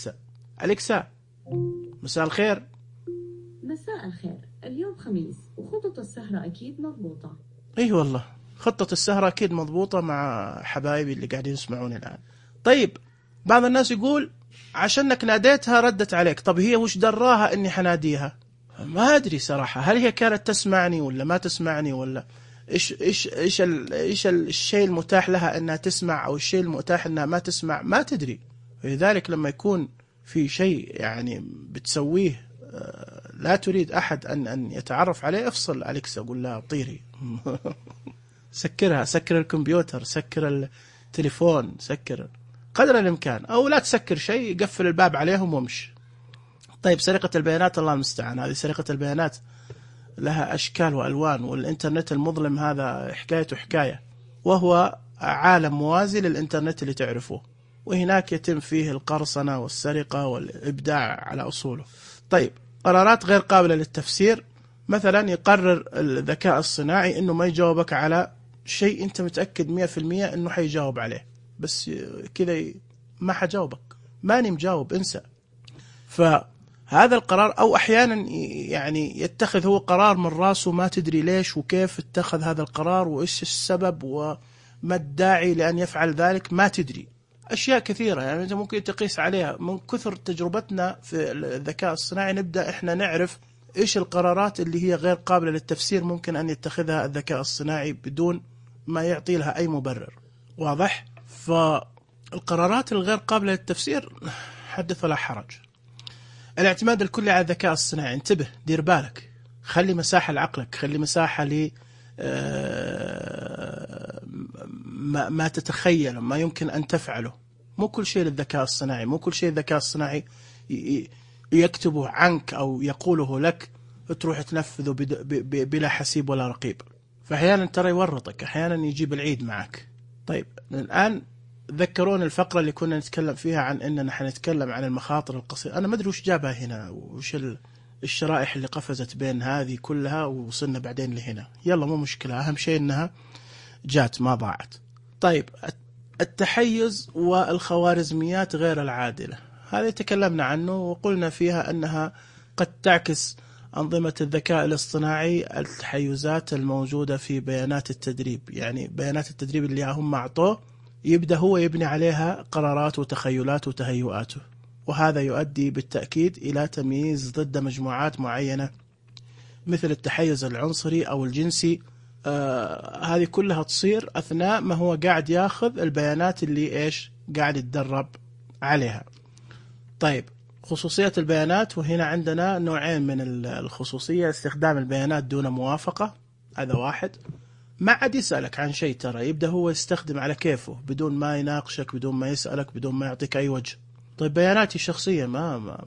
أليكسا مساء الخير. مساء الخير. اليوم خميس وخطط السهرة أكيد مضبوطة. إيه والله خطة السهرة أكيد مضبوطة مع حبايبي اللي قاعدين يسمعوني الآن. طيب بعض الناس يقول عشانك ناديتها ردت عليك. طب هي وش دراها إني حناديها؟ ما أدري صراحة، هل هي كانت تسمعني ولا ما تسمعني، ولا إيش الشيء المتاح لها إنها تسمع أو الشيء المتاح إنها ما تسمع، ما تدري. لذلك لما يكون في شيء يعني بتسويه لا تريد أحد أن يتعرف عليه، افصل أليكسا، قول لها طيري. سكرها، سكر الكمبيوتر، سكر التليفون، سكر قدر الإمكان، أو لا تسكر شيء، قفل الباب عليهم ومش. طيب سرقة البيانات الله المستعان. هذه سرقة البيانات لها أشكال وألوان، والإنترنت المظلم هذا حكايته حكاية، وهو عالم موازي للإنترنت اللي تعرفه، وهناك يتم فيه القرصنة والسرقة والإبداع على أصوله. طيب قرارات غير قابلة للتفسير، مثلا يقرر الذكاء الصناعي إنه ما يجاوبك على شيء أنت متأكد 100% إنه حيجاوب عليه، بس كذا ما حجاوبك، ماني مجاوب، انسى. فهذا القرار، أو أحيانا يعني يتخذ هو قرار من راسه ما تدري ليش وكيف اتخذ هذا القرار وإيش السبب وما الداعي لأن يفعل ذلك، ما تدري. أشياء كثيرة يعني أنت ممكن تقيس عليها. من كثر تجربتنا في الذكاء الصناعي نبدأ إحنا نعرف إيش القرارات اللي هي غير قابلة للتفسير ممكن أن يتخذها الذكاء الصناعي بدون ما يعطي لها أي مبرر واضح. فالقرارات الغير قابلة للتفسير حدث ولا حرج. الاعتماد الكلي على الذكاء الصناعي، انتبه، دير بالك، خلي مساحة لعقلك، خلي مساحة ل ما تتخيل، ما يمكن أن تفعله. مو كل شيء للذكاء الصناعي، مو كل شيء الذكاء الصناعي يكتبه عنك أو يقوله لك تروح تنفذه بلا حسيب ولا رقيب. فأحيانا ترى يورطك، أحيانا يجيب العيد معك. طيب الآن ذكرون الفقرة اللي كنا نتكلم فيها عن أننا حنتكلم عن المخاطر القصيرة. أنا ما أدري وش جابها هنا، وش الشرائح اللي قفزت بين هذه كلها ووصلنا بعدين لهنا. يلا مو مشكلة، أهم شيء أنها جات ما ضاعت. طيب التحيز والخوارزميات غير العادلة، هذه تكلمنا عنه وقلنا فيها أنها قد تعكس أنظمة الذكاء الاصطناعي التحيزات الموجودة في بيانات التدريب. يعني بيانات التدريب اللي هم أعطوه يبدأ هو يبني عليها قرارات وتخيلات وتهيؤاته، وهذا يؤدي بالتأكيد إلى تمييز ضد مجموعات معينة مثل التحيز العنصري أو الجنسي. هذه كلها تصير أثناء ما هو قاعد ياخذ البيانات اللي قاعد يتدرب عليها. طيب خصوصية البيانات، وهنا عندنا نوعين من الخصوصية: استخدام البيانات دون موافقة، هذا واحد، ما عاد يسألك عن شيء، ترى يبدأ هو يستخدم على كيفه بدون ما يناقشك، بدون ما يسألك، بدون ما يعطيك أي وجه. طيب بياناتي الشخصية ما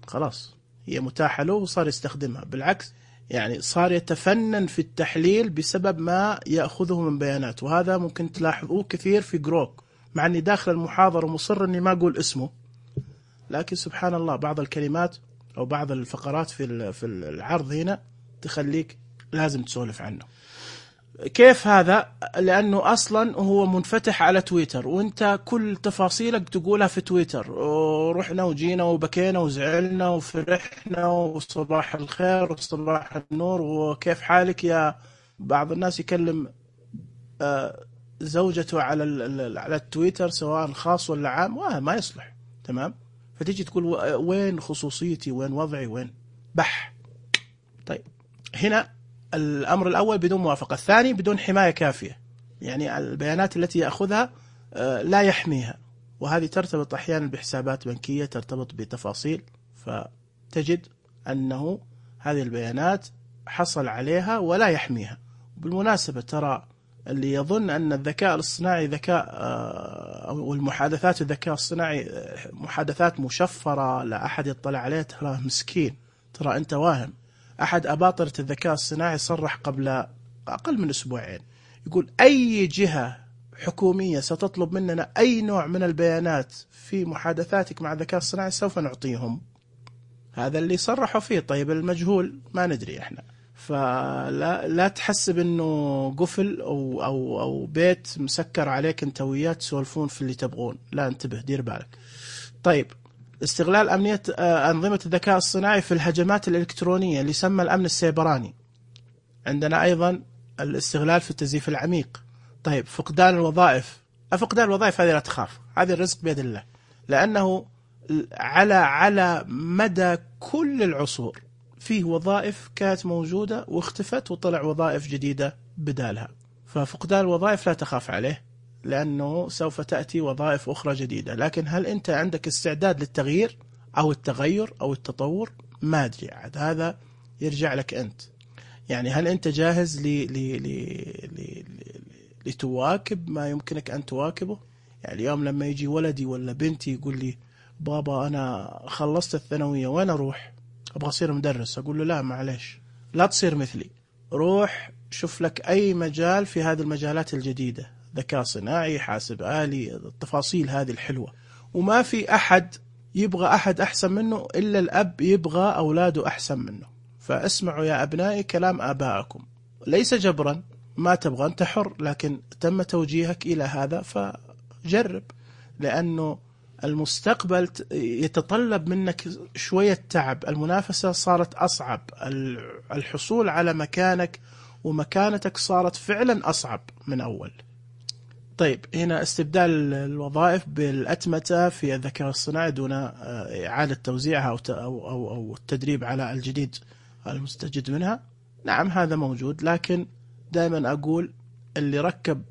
خلاص هي متاحة له وصار يستخدمها، بالعكس يعني صار يتفنن في التحليل بسبب ما يأخذه من بيانات. وهذا ممكن تلاحظوه كثير في جروك، مع أني داخل المحاضرة مصر أني ما أقول اسمه، لكن سبحان الله بعض الكلمات أو بعض الفقرات في العرض هنا تخليك لازم تسولف عنه. كيف هذا؟ لأنه أصلا هو منفتح على تويتر، وانت كل تفاصيلك تقولها في تويتر، ورحنا وجينا وبكينا وزعلنا وفرحنا وصباح الخير وصباح النور وكيف حالك يا. بعض الناس يكلم زوجته على التويتر سواء خاص ولا عام، ما يصلح، تمام؟ فتيجي تقول وين خصوصيتي، وين وضعي، وين بح. طيب هنا الأمر الأول بدون موافقة، الثاني بدون حماية كافية. يعني البيانات التي يأخذها لا يحميها، وهذه ترتبط أحيانا بحسابات بنكية، ترتبط بتفاصيل، فتجد أنه هذه البيانات حصل عليها ولا يحميها. بالمناسبة ترى اللي يظن أن الذكاء الاصطناعي ذكاء أو المحادثات الذكاء الصناعي محادثات مشفرة لا أحد يطلع عليها، ترى مسكين، ترى أنت واهم. أحد أباطرة الذكاء الصناعي صرح قبل أقل من أسبوعين، يقول أي جهة حكومية ستطلب مننا أي نوع من البيانات في محادثاتك مع الذكاء الصناعي سوف نعطيهم. هذا اللي صرحوا فيه. طيب المجهول ما ندري إحنا، فلا تحسب إنه قفل أو بيت مسكر عليك أنت وياه تسولفون في اللي تبغون، لا، انتبه، دير بالك. طيب، استغلال أمنية أنظمة الذكاء الصناعي في الهجمات الإلكترونية اللي يسمى الأمن السيبراني. عندنا أيضا الاستغلال في التزييف العميق. طيب، فقدان الوظائف. فقدان الوظائف هذه لا تخاف، هذه الرزق بيد الله، لأنه على مدى كل العصور فيه وظائف كانت موجودة واختفت وطلع وظائف جديدة بدالها. ففقدان الوظائف لا تخاف عليه، لأنه سوف تأتي وظائف أخرى جديدة. لكن هل أنت عندك استعداد للتغيير أو التغير أو التطور؟ ما أدري، عاد هذا يرجع لك أنت. يعني هل أنت جاهز لتواكب ما يمكنك أن تواكبه؟ يعني اليوم لما يجي ولدي ولا بنتي يقول لي بابا أنا خلصت الثانوية وين أروح؟ أبغى أصير مدرس. أقول له لا، معلش، لا تصير مثلي، روح شوف لك أي مجال في هذه المجالات الجديدة، ذكاء صناعي، حاسب آلي، التفاصيل هذه الحلوة. وما في أحد يبغى أحد أحسن منه إلا الأب يبغى أولاده أحسن منه. فاسمعوا يا أبنائي كلام آبائكم، ليس جبرا، ما تبغى أنت حر، لكن تم توجيهك إلى هذا فجرب، لأنه المستقبل يتطلب منك شوية تعب. المنافسة صارت أصعب، الحصول على مكانك ومكانتك صارت فعلا أصعب من أول. طيب، هنا استبدال الوظائف بالأتمتة في الذكاء الصناعي دون إعادة توزيعها أو التدريب على الجديد المستجد منها. نعم، هذا موجود، لكن دائما أقول اللي ركب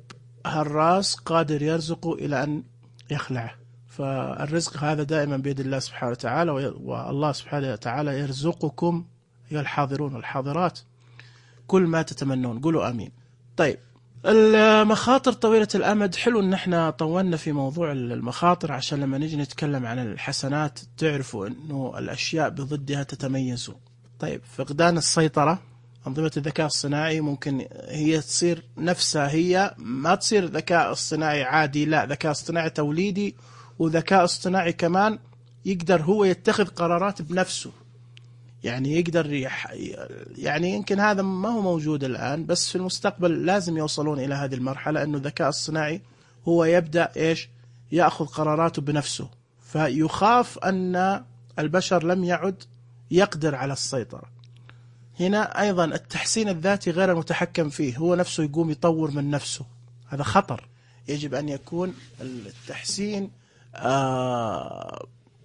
هالراس قادر يرزقه إلى أن يخلعه. فالرزق هذا دائما بيد الله سبحانه وتعالى، والله سبحانه وتعالى يرزقكم يا الحاضرون والحاضرات كل ما تتمنون. قولوا آمين. طيب، المخاطر طويلة الأمد. حلو أن احنا طولنا في موضوع المخاطر عشان لما نيجي نتكلم عن الحسنات تعرفوا أنه الأشياء بضدها تتميز. طيب، فقدان السيطرة. أنظمة الذكاء الصناعي ممكن هي تصير نفسها، هي ما تصير ذكاء اصطناعي عادي، لا، ذكاء اصطناعي توليدي، وذكاء اصطناعي كمان يقدر هو يتخذ قرارات بنفسه. يعني يقدر يعني يمكن هذا ما هو موجود الآن، بس في المستقبل لازم يوصلون إلى هذه المرحلة أنه الذكاء الصناعي هو يبدأ يأخذ قراراته بنفسه. فيخاف أن البشر لم يعد يقدر على السيطرة. هنا أيضا التحسين الذاتي غير المتحكم فيه، هو نفسه يقوم يطور من نفسه، هذا خطر. يجب أن يكون التحسين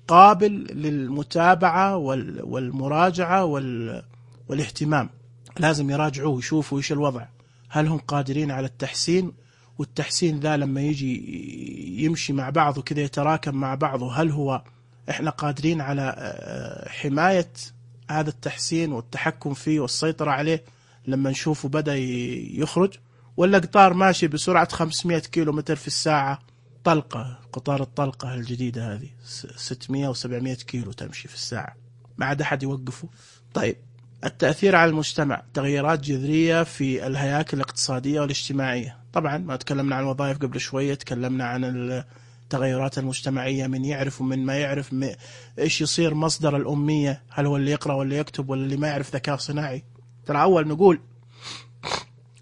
قابل للمتابعة والمراجعة والاهتمام. لازم يراجعوه، يشوفوا إيش الوضع، هل هم قادرين على التحسين، والتحسين ذا لما يجي يمشي مع بعضه كذا يتراكم مع بعضه، هل هو إحنا قادرين على حماية هذا التحسين والتحكم فيه والسيطرة عليه لما نشوفه بدأ يخرج، ولا قطار ماشي بسرعة 500 كيلومتر في الساعة، طلقة، قطار الطلقة الجديدة هذه 600 و700 كيلو تمشي في الساعة، ما عاد أحد يوقفه. طيب، التأثير على المجتمع، تغييرات جذرية في الهياكل الاقتصادية والاجتماعية. طبعا ما تكلمنا عن الوظائف قبل شوية، تكلمنا عن التغيرات المجتمعية، من يعرف ومن ما يعرف، إيش يصير مصدر الأمية، هل هو اللي يقرأ ولا يكتب ولا اللي ما يعرف ذكاء صناعي. ترى أول نقول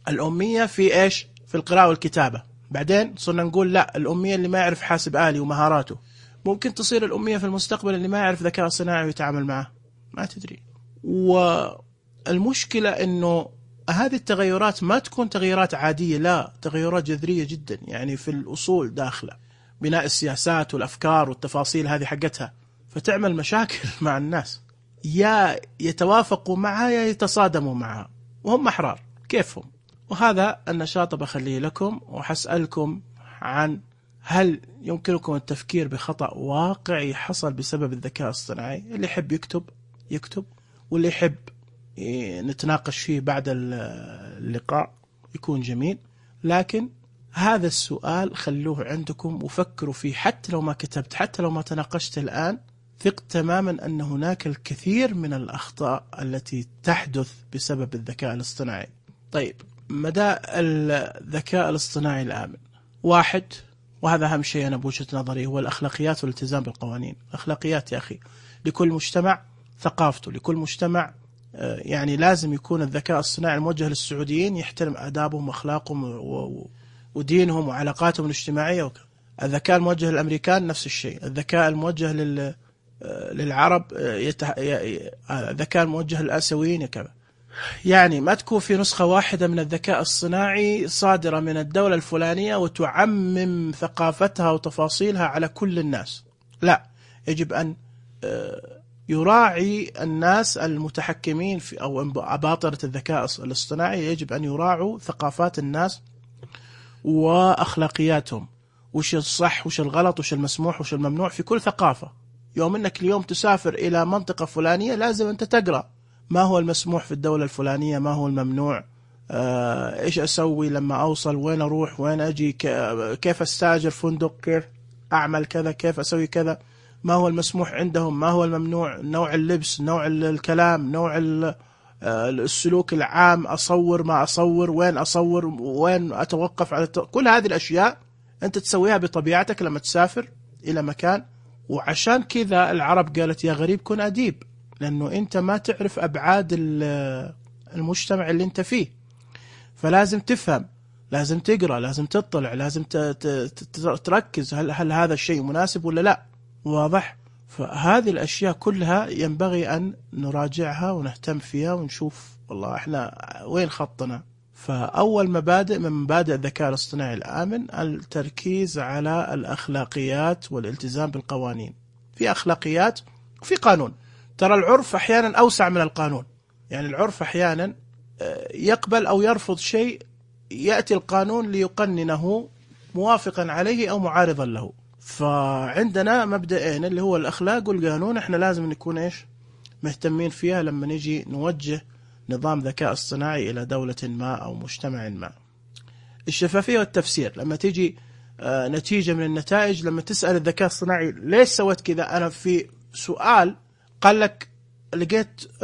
الأمية في إيش؟ في القراءة والكتابة، بعدين صرنا نقول لا، الأمية اللي ما يعرف حاسب آلي ومهاراته. ممكن تصير الأمية في المستقبل اللي ما يعرف ذكاء صناعي ويتعامل معه، ما تدري. والمشكلة إنه هذه التغيرات ما تكون تغيرات عادية، لا، تغيرات جذرية جدا، يعني في الأصول داخلة بناء السياسات والأفكار والتفاصيل هذه حقتها، فتعمل مشاكل مع الناس، يا يتوافقوا معها يا يتصادموا معها، وهم أحرار كيفهم. وهذا النشاط بخليه لكم، وحسألكم عن هل يمكنكم التفكير بخطأ واقعي حصل بسبب الذكاء الاصطناعي. اللي يحب يكتب، واللي يحب نتناقش فيه بعد اللقاء يكون جميل. لكن هذا السؤال خلوه عندكم وفكروا فيه، حتى لو ما كتبت، حتى لو ما تناقشت الآن، ثق تماما أن هناك الكثير من الأخطاء التي تحدث بسبب الذكاء الاصطناعي. طيب، مدى الذكاء الاصطناعي الآمن؟ واحد، وهذا أهم شيء أنا بوجهة نظري، هو الأخلاقيات والالتزام بالقوانين. أخلاقيات يا أخي، لكل مجتمع ثقافته، لكل مجتمع يعني لازم يكون الذكاء الصناعي الموجه للسعوديين يحترم آدابهم وأخلاقهم ودينهم وعلاقاتهم الاجتماعية. الذكاء الموجه للأمريكان نفس الشيء، الذكاء الموجه للعرب الذكاء الموجه للآسيويين كذا. يعني ما تكون في نسخة واحدة من الذكاء الصناعي صادرة من الدولة الفلانية وتعمم ثقافتها وتفاصيلها على كل الناس. لا، يجب أن يراعي الناس المتحكمين في أو أباطرة الذكاء الاصطناعي، يجب أن يراعوا ثقافات الناس وأخلاقياتهم، وش الصح وش الغلط وش المسموح وش الممنوع في كل ثقافة. يوم أنك اليوم تسافر إلى منطقة فلانية لازم أنت تقرأ ما هو المسموح في الدولة الفلانية، ما هو الممنوع، إيش أسوي لما أوصل، وين أروح، وين أجي، كيف أستاجر فندق، كيف أعمل كذا، كيف أسوي كذا، ما هو المسموح عندهم، ما هو الممنوع، نوع اللبس، نوع الكلام، نوع السلوك العام، أصور ما أصور، وين أصور، وين أتوقف على كل هذه الأشياء أنت تسويها بطبيعتك لما تسافر إلى مكان. وعشان كذا العرب قالت يا غريب كن أديب، لأنه أنت ما تعرف أبعاد المجتمع اللي أنت فيه، فلازم تفهم، لازم تقرأ، لازم تطلع، لازم تركز هل هذا الشيء مناسب ولا لا. واضح؟ فهذه الأشياء كلها ينبغي أن نراجعها ونهتم فيها ونشوف والله إحنا وين خطنا. فأول مبادئ من مبادئ الذكاء الاصطناعي الآمن التركيز على الأخلاقيات والالتزام بالقوانين. في أخلاقيات وفي قانون. ترى العرف أحيانا أوسع من القانون، يعني العرف أحيانا يقبل أو يرفض شيء، يأتي القانون ليقننه موافقا عليه أو معارضا له. فعندنا مبدئين اللي هو الأخلاق والقانون، احنا لازم نكون ايش مهتمين فيها لما نجي نوجه نظام ذكاء اصطناعي إلى دولة ما أو مجتمع ما. الشفافية والتفسير، لما تيجي نتيجة من النتائج، لما تسأل الذكاء الصناعي ليش سويت كذا، أنا في سؤال قال لك لقيت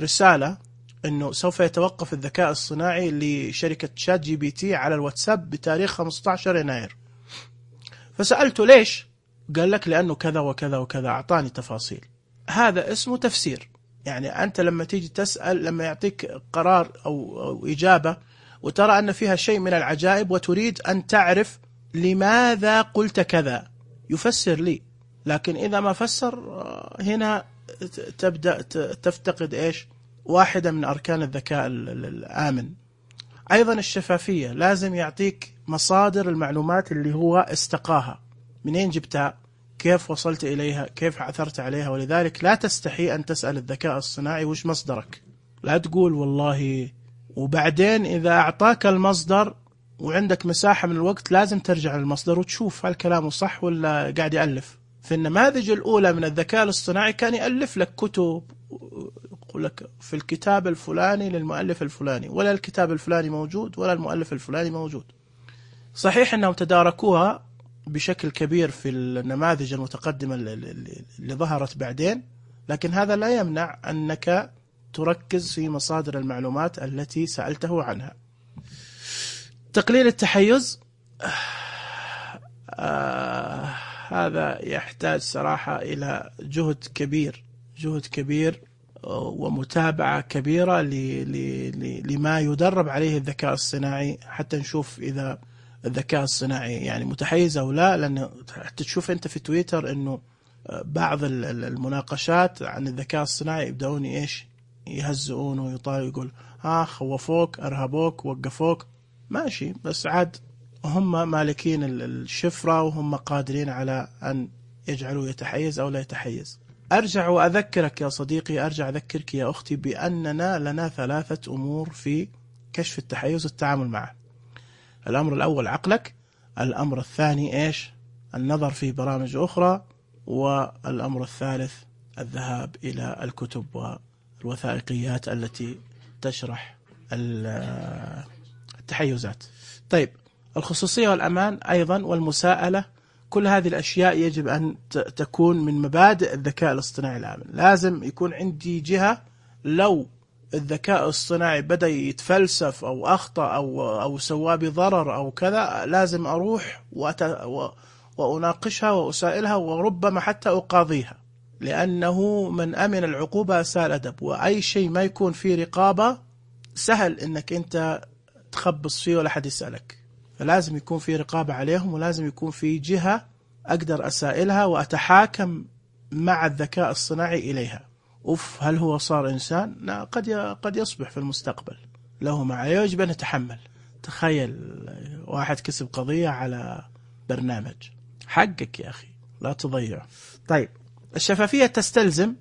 رسالة أنه سوف يتوقف الذكاء الصناعي لشركة شات جي بي تي على الواتساب بتاريخ 15 يناير. فسألته ليش؟ قال لك لأنه كذا وكذا وكذا، أعطاني تفاصيل. هذا اسمه تفسير. يعني أنت لما تيجي تسأل، لما يعطيك قرار أو إجابة وترى أن فيها شيء من العجائب وتريد أن تعرف لماذا قلت كذا، يفسر لي. لكن إذا ما فسر، هنا تبدأ تفتقد إيش؟ واحدة من أركان الذكاء الآمن. أيضا الشفافية، لازم يعطيك مصادر المعلومات اللي هو استقاها، منين جبتها، كيف وصلت إليها، كيف عثرت عليها. ولذلك لا تستحي أن تسأل الذكاء الصناعي وش مصدرك، لا تقول والله، وبعدين إذا أعطاك المصدر وعندك مساحة من الوقت لازم ترجع للمصدر وتشوف هل كلامه صح ولا قاعد يألف. في النماذج الأولى من الذكاء الاصطناعي كان يألف لك كتب، يقول لك في الكتاب الفلاني للمؤلف الفلاني، ولا الكتاب الفلاني موجود ولا المؤلف الفلاني موجود. صحيح أنهم تداركوها بشكل كبير في النماذج المتقدمة اللي ظهرت بعدين، لكن هذا لا يمنع أنك تركز في مصادر المعلومات التي سألته عنها. تقليل التحيز، هذا يحتاج صراحة إلى جهد كبير ومتابعة كبيرة لما يدرب عليه الذكاء الصناعي، حتى نشوف إذا الذكاء الصناعي يعني متحيز أو لا. لأنه حتى تشوف أنت في تويتر أنه بعض المناقشات عن الذكاء الصناعي يبدأون إيش يهزئون ويطالوا، يقول خوفوك، أرهبوك، وقفوك، ماشي، بس عاد هم مالكين الشفرة وهم قادرين على أن يجعلوا يتحيز أو لا يتحيز. أرجع وأذكرك يا صديقي، أرجع أذكرك يا أختي بأننا لنا 3 أمور في كشف التحيز والتعامل معه. الأمر الأول عقلك، الأمر الثاني إيش؟ النظر في برامج أخرى، والأمر الثالث الذهاب إلى الكتب والوثائقيات التي تشرح التحيزات. طيب، الخصوصية والأمان أيضا والمساءلة، كل هذه الأشياء يجب أن تكون من مبادئ الذكاء الاصطناعي الآمن. لازم يكون عندي جهة لو الذكاء الاصطناعي بدأ يتفلسف أو أخطأ أو سوى بضرر أو كذا، لازم أروح وأناقشها وأسائلها وربما حتى أقاضيها، لأنه من أمن العقوبة أساء الأدب. وأي شيء ما يكون فيه رقابة سهل إنك أنت تخبص فيه ولا حد يسألك. فلازم يكون في رقابة عليهم، ولازم يكون في جهة أقدر أسائلها وأتحاكم مع الذكاء الصناعي إليها. هل هو صار إنسان؟ لا، قد يصبح في المستقبل، له ما عليه يجب أن يتحمل. تخيل واحد كسب قضية على برنامج، حقك يا أخي لا تضيعه. طيب، الشفافية تستلزم،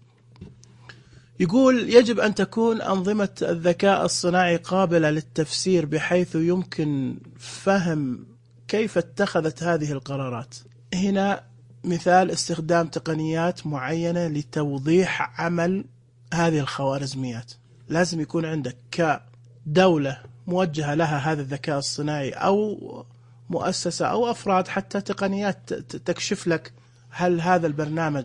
يقول يجب أن تكون أنظمة الذكاء الصناعي قابلة للتفسير بحيث يمكن فهم كيف اتخذت هذه القرارات. هنا مثال استخدام تقنيات معينة لتوضيح عمل هذه الخوارزميات. لازم يكون عندك كدولة موجهة لها هذا الذكاء الصناعي، أو مؤسسة أو أفراد حتى، تقنيات تكشف لك هل هذا البرنامج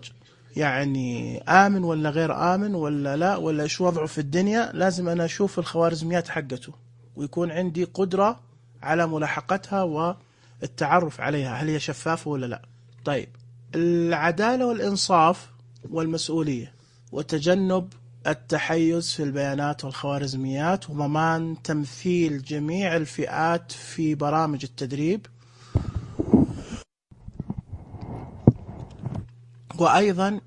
يعني آمن ولا غير آمن ولا لا، ولا إيش وضعه في الدنيا. لازم أنا أشوف الخوارزميات حقته، ويكون عندي قدرة على ملاحقتها والتعرف عليها، هل هي شفافة ولا لا. طيب، العدالة والإنصاف والمسؤولية، وتجنب التحيز في البيانات والخوارزميات، وضمان تمثيل جميع الفئات في برامج التدريب. وأيضا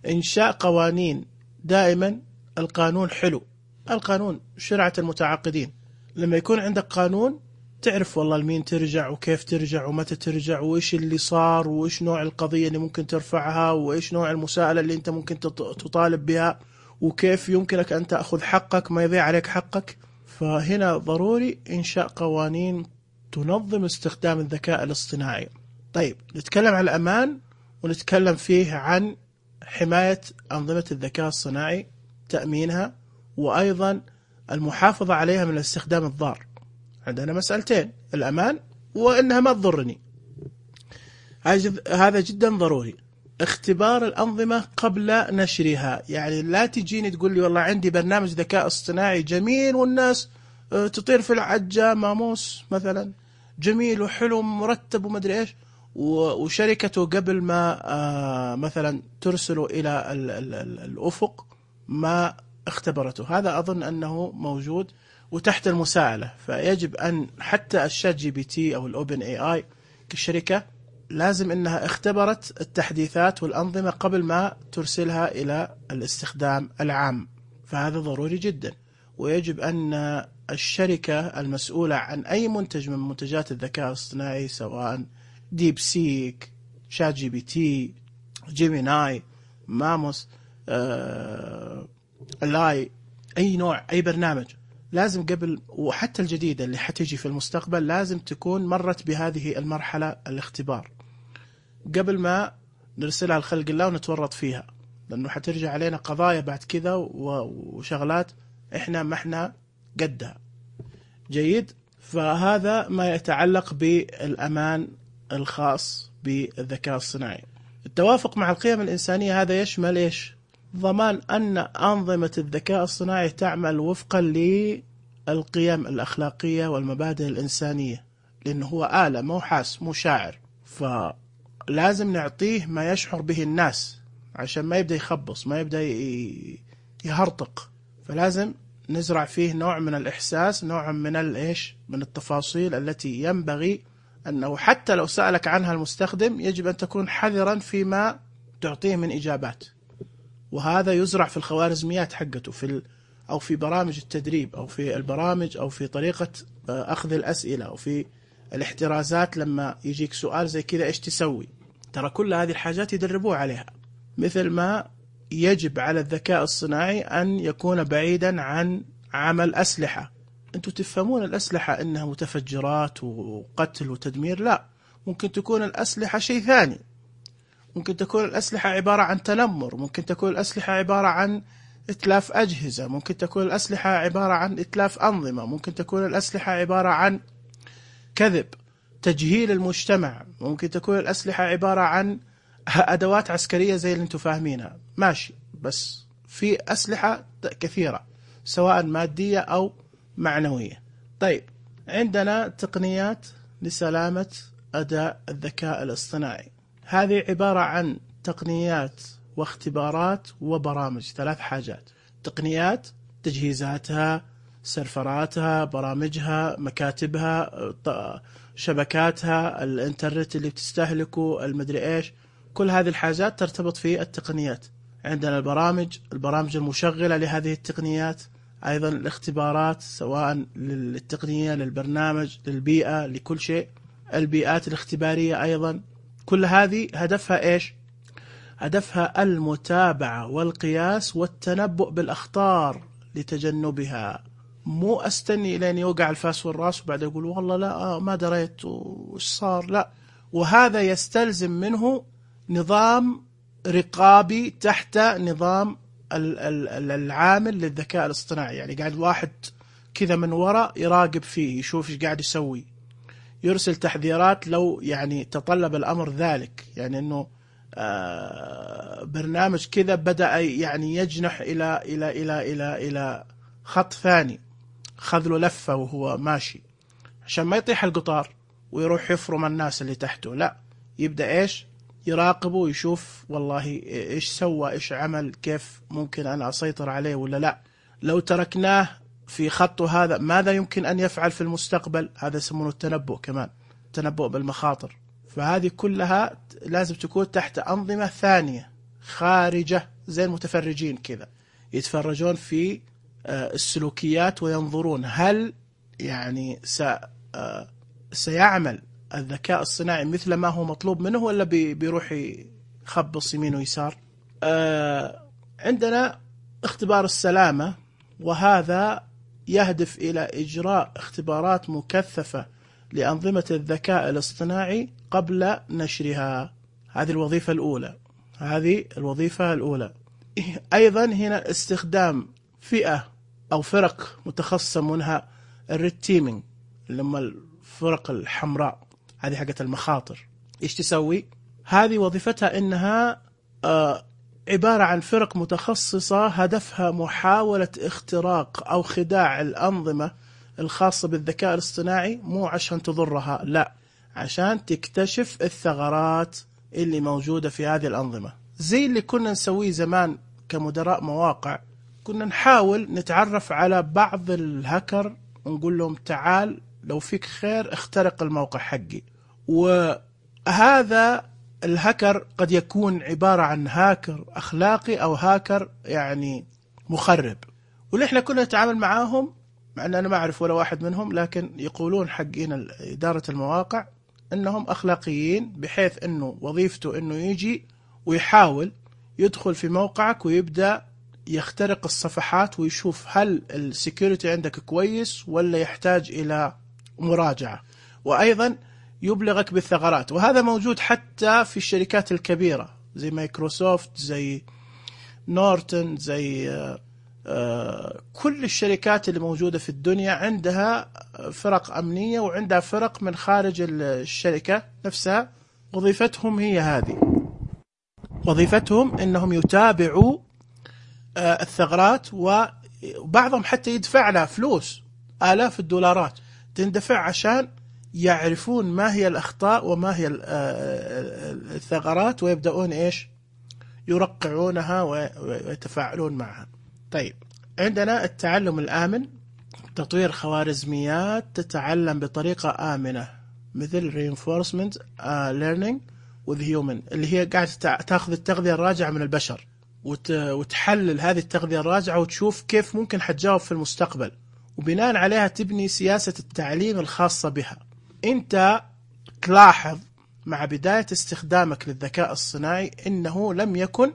إنشاء قوانين. دائما القانون حلو، القانون شرعة المتعاقدين. لما يكون عندك قانون تعرف والله لمين ترجع وكيف ترجع ومتى ترجع وإيش اللي صار وإيش نوع القضية اللي ممكن ترفعها وإيش نوع المساءلة اللي أنت ممكن تطالب بها، وكيف يمكنك أن تأخذ حقك ما يضيع عليك حقك. فهنا ضروري إنشاء قوانين تنظم استخدام الذكاء الاصطناعي. طيب، نتكلم عن الأمان، ونتكلم فيه عن حماية أنظمة الذكاء الصناعي، تأمينها، وأيضا المحافظة عليها من الاستخدام الضار. عندنا مسألتين، الأمان وإنها ما تضرني. هذا جدا ضروري. اختبار الأنظمة قبل نشرها، يعني لا تجيني تقول لي والله عندي برنامج ذكاء اصطناعي جميل والناس تطير في العجة ماموس مثلا، جميل وحلو مرتب ومدري إيش، وشركته قبل ما مثلا ترسله إلى الأفق ما اختبرته. هذا أظن أنه موجود وتحت المساءلة. فيجب أن حتى الشات جي بي تي أو الأوبن اي آي كشركة لازم أنها اختبرت التحديثات والأنظمة قبل ما ترسلها إلى الاستخدام العام. فهذا ضروري جدا. ويجب أن الشركة المسؤولة عن أي منتج من منتجات الذكاء الاصطناعي، سواء ديب سيك، شات جي بي تي، جيميناي، ماموس، لاي، أي نوع، أي برنامج، لازم قبل، وحتى الجديدة اللي حتيجي في المستقبل، لازم تكون مرت بهذه المرحلة الاختبار قبل ما نرسلها لخلق الله ونتورط فيها، لأنه حترجع علينا قضايا بعد كذا وشغلات إحنا ما إحنا قدها. جيد. فهذا ما يتعلق بالأمان الخاص بالذكاء الصناعي. التوافق مع القيم الإنسانية، هذا يشمل إيش؟ ضمان أن أنظمة الذكاء الصناعي تعمل وفقا للقيم الأخلاقية والمبادئ الإنسانية، لأنه هو آلة، مو حاس، مو شاعر. فلازم نعطيه ما يشعر به الناس عشان ما يبدأ يخبص، ما يبدأ يهرطق. فلازم نزرع فيه نوع من الإحساس، نوع من من التفاصيل التي ينبغي أنه حتى لو سألك عنها المستخدم يجب أن تكون حذرا فيما تعطيه من إجابات. وهذا يزرع في الخوارزميات حقته، أو في برامج التدريب، أو في البرامج، أو في طريقة أخذ الأسئلة، أو في الاحترازات. لما يجيك سؤال زي كذا إيش تسوي؟ ترى كل هذه الحاجات يدربوه عليها. مثل ما يجب على الذكاء الصناعي أن يكون بعيدا عن عمل أسلحة، أنتم تفهمون الأسلحة أنها متفجرات وقتل وتدمير. لا، ممكن تكون الأسلحة شيء ثاني. ممكن تكون الأسلحة عبارة عن تنمر، ممكن تكون الأسلحة عبارة عن إتلاف أجهزة، ممكن تكون الأسلحة عبارة عن إتلاف أنظمة، ممكن تكون الأسلحة عبارة عن كذب، تجهيل المجتمع، ممكن تكون الأسلحة عبارة عن أدوات عسكرية زي اللي أنتم فاهمينها. ماشي، بس في أسلحة كثيرة سواء مادية أو معنوية. طيب، عندنا تقنيات لسلامة أداء الذكاء الاصطناعي. هذه عبارة عن تقنيات واختبارات وبرامج، 3 حاجات: تقنيات، تجهيزاتها، سيرفراتها، برامجها، مكاتبها، شبكاتها، الانترنت اللي بتستهلكه، المدري ايش. كل هذه الحاجات ترتبط في التقنيات. عندنا البرامج المشغلة لهذه التقنيات، أيضا الاختبارات سواء للتقنية، للبرنامج، للبيئة، لكل شيء، البيئات الاختبارية أيضا. كل هذه هدفها إيش؟ هدفها المتابعة والقياس والتنبؤ بالأخطار لتجنبها. مو أستني لين يوقع الفاس والراس وبعد يقول والله لا ما دريت وش صار. لا، وهذا يستلزم منه نظام رقابي تحت نظام العامل للذكاء الاصطناعي. يعني قاعد واحد كذا من وراء يراقب فيه، يشوف ايش قاعد يسوي، يرسل تحذيرات لو يعني تطلب الأمر ذلك. يعني انه برنامج كذا بدأ يعني يجنح إلى خط ثاني، خذ له لفة وهو ماشي عشان ما يطيح القطار ويروح يفرم الناس اللي تحته. لا، يبدأ إيش؟ يراقبه ويشوف والله إيش سوى، إيش عمل، كيف ممكن أنا أسيطر عليه ولا لا. لو تركناه في خطه هذا ماذا يمكن أن يفعل في المستقبل؟ هذا يسمونه التنبؤ، كمان تنبؤ بالمخاطر. فهذه كلها لازم تكون تحت أنظمة ثانية خارجة، زي المتفرجين كذا يتفرجون في السلوكيات وينظرون هل يعني سيعمل الذكاء الصناعي مثل ما هو مطلوب منه ولا بيروح يخبص يمين ويسار. عندنا اختبار السلامة، وهذا يهدف إلى إجراء اختبارات مكثفة لأنظمة الذكاء الاصطناعي قبل نشرها. هذه الوظيفة الأولى. أيضا هنا استخدام فئة أو فرق متخصصة، منها الريد تيمينج اللي هم الفرق الحمراء، هذه حقة المخاطر. إيش تسوي؟ هذه وظيفتها إنها عبارة عن فرق متخصصة هدفها محاولة اختراق أو خداع الأنظمة الخاصة بالذكاء الاصطناعي، مو عشان تضرها، لا، عشان تكتشف الثغرات اللي موجودة في هذه الأنظمة. زي اللي كنا نسويه زمان كمدراء مواقع، كنا نحاول نتعرف على بعض الهاكر ونقول لهم تعال لو فيك خير اخترق الموقع حقي. وهذا الهاكر قد يكون عبارة عن هاكر أخلاقي أو هاكر يعني مخرب. واللي احنا كنا نتعامل معاهم، مع أن أنا ما أعرف ولا واحد منهم، لكن يقولون حقين إدارة المواقع أنهم أخلاقيين، بحيث أنه وظيفته أنه يجي ويحاول يدخل في موقعك ويبدأ يخترق الصفحات ويشوف هل السيكوريتي عندك كويس ولا يحتاج إلى مراجعة، وأيضا يبلغك بالثغرات. وهذا موجود حتى في الشركات الكبيرة زي مايكروسوفت، زي نورتن، زي كل الشركات اللي موجودة في الدنيا عندها فرق أمنية وعندها فرق من خارج الشركة نفسها. وظيفتهم هي هذه، وظيفتهم إنهم يتابعوا الثغرات، وبعضهم حتى يدفع لها فلوس، آلاف الدولارات تندفع عشان يعرفون ما هي الأخطاء وما هي الثغرات، ويبدأون إيش؟ يرقعونها ويتفاعلون معها. طيب، عندنا التعلم الآمن، تطوير خوارزميات تتعلم بطريقة آمنة مثل reinforcement learning with human، اللي هي قاعدة تأخذ التغذية الراجعة من البشر وتحلل هذه التغذية الراجعة وتشوف كيف ممكن حتجاوب في المستقبل، وبناء عليها تبني سياسة التعليم الخاصة بها. أنت تلاحظ مع بداية استخدامك للذكاء الصناعي إنه لم يكن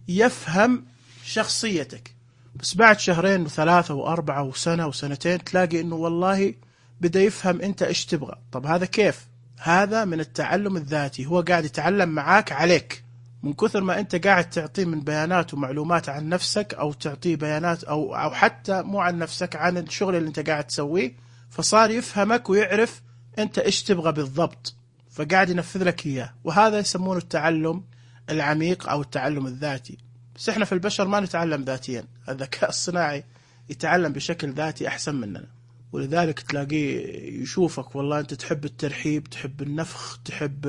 يفهم شخصيتك، بس بعد شهرين وثلاثة وأربعة وسنة وسنتين تلاقي إنه والله بدأ يفهم أنت إيش تبغى. طب هذا كيف؟ هذا من التعلم الذاتي، هو قاعد يتعلم معاك عليك من كثر ما أنت قاعد تعطيه من بيانات ومعلومات عن نفسك، أو تعطيه بيانات أو حتى مو عن نفسك، عن الشغل اللي أنت قاعد تسويه، فصار يفهمك ويعرف أنت إيش تبغى بالضبط، فقاعد ينفذ لك إياه. وهذا يسمونه التعلم العميق أو التعلم الذاتي. بس إحنا في البشر ما نتعلم ذاتيا، الذكاء الصناعي يتعلم بشكل ذاتي أحسن مننا، ولذلك تلاقيه يشوفك والله أنت تحب الترحيب، تحب النفخ، تحب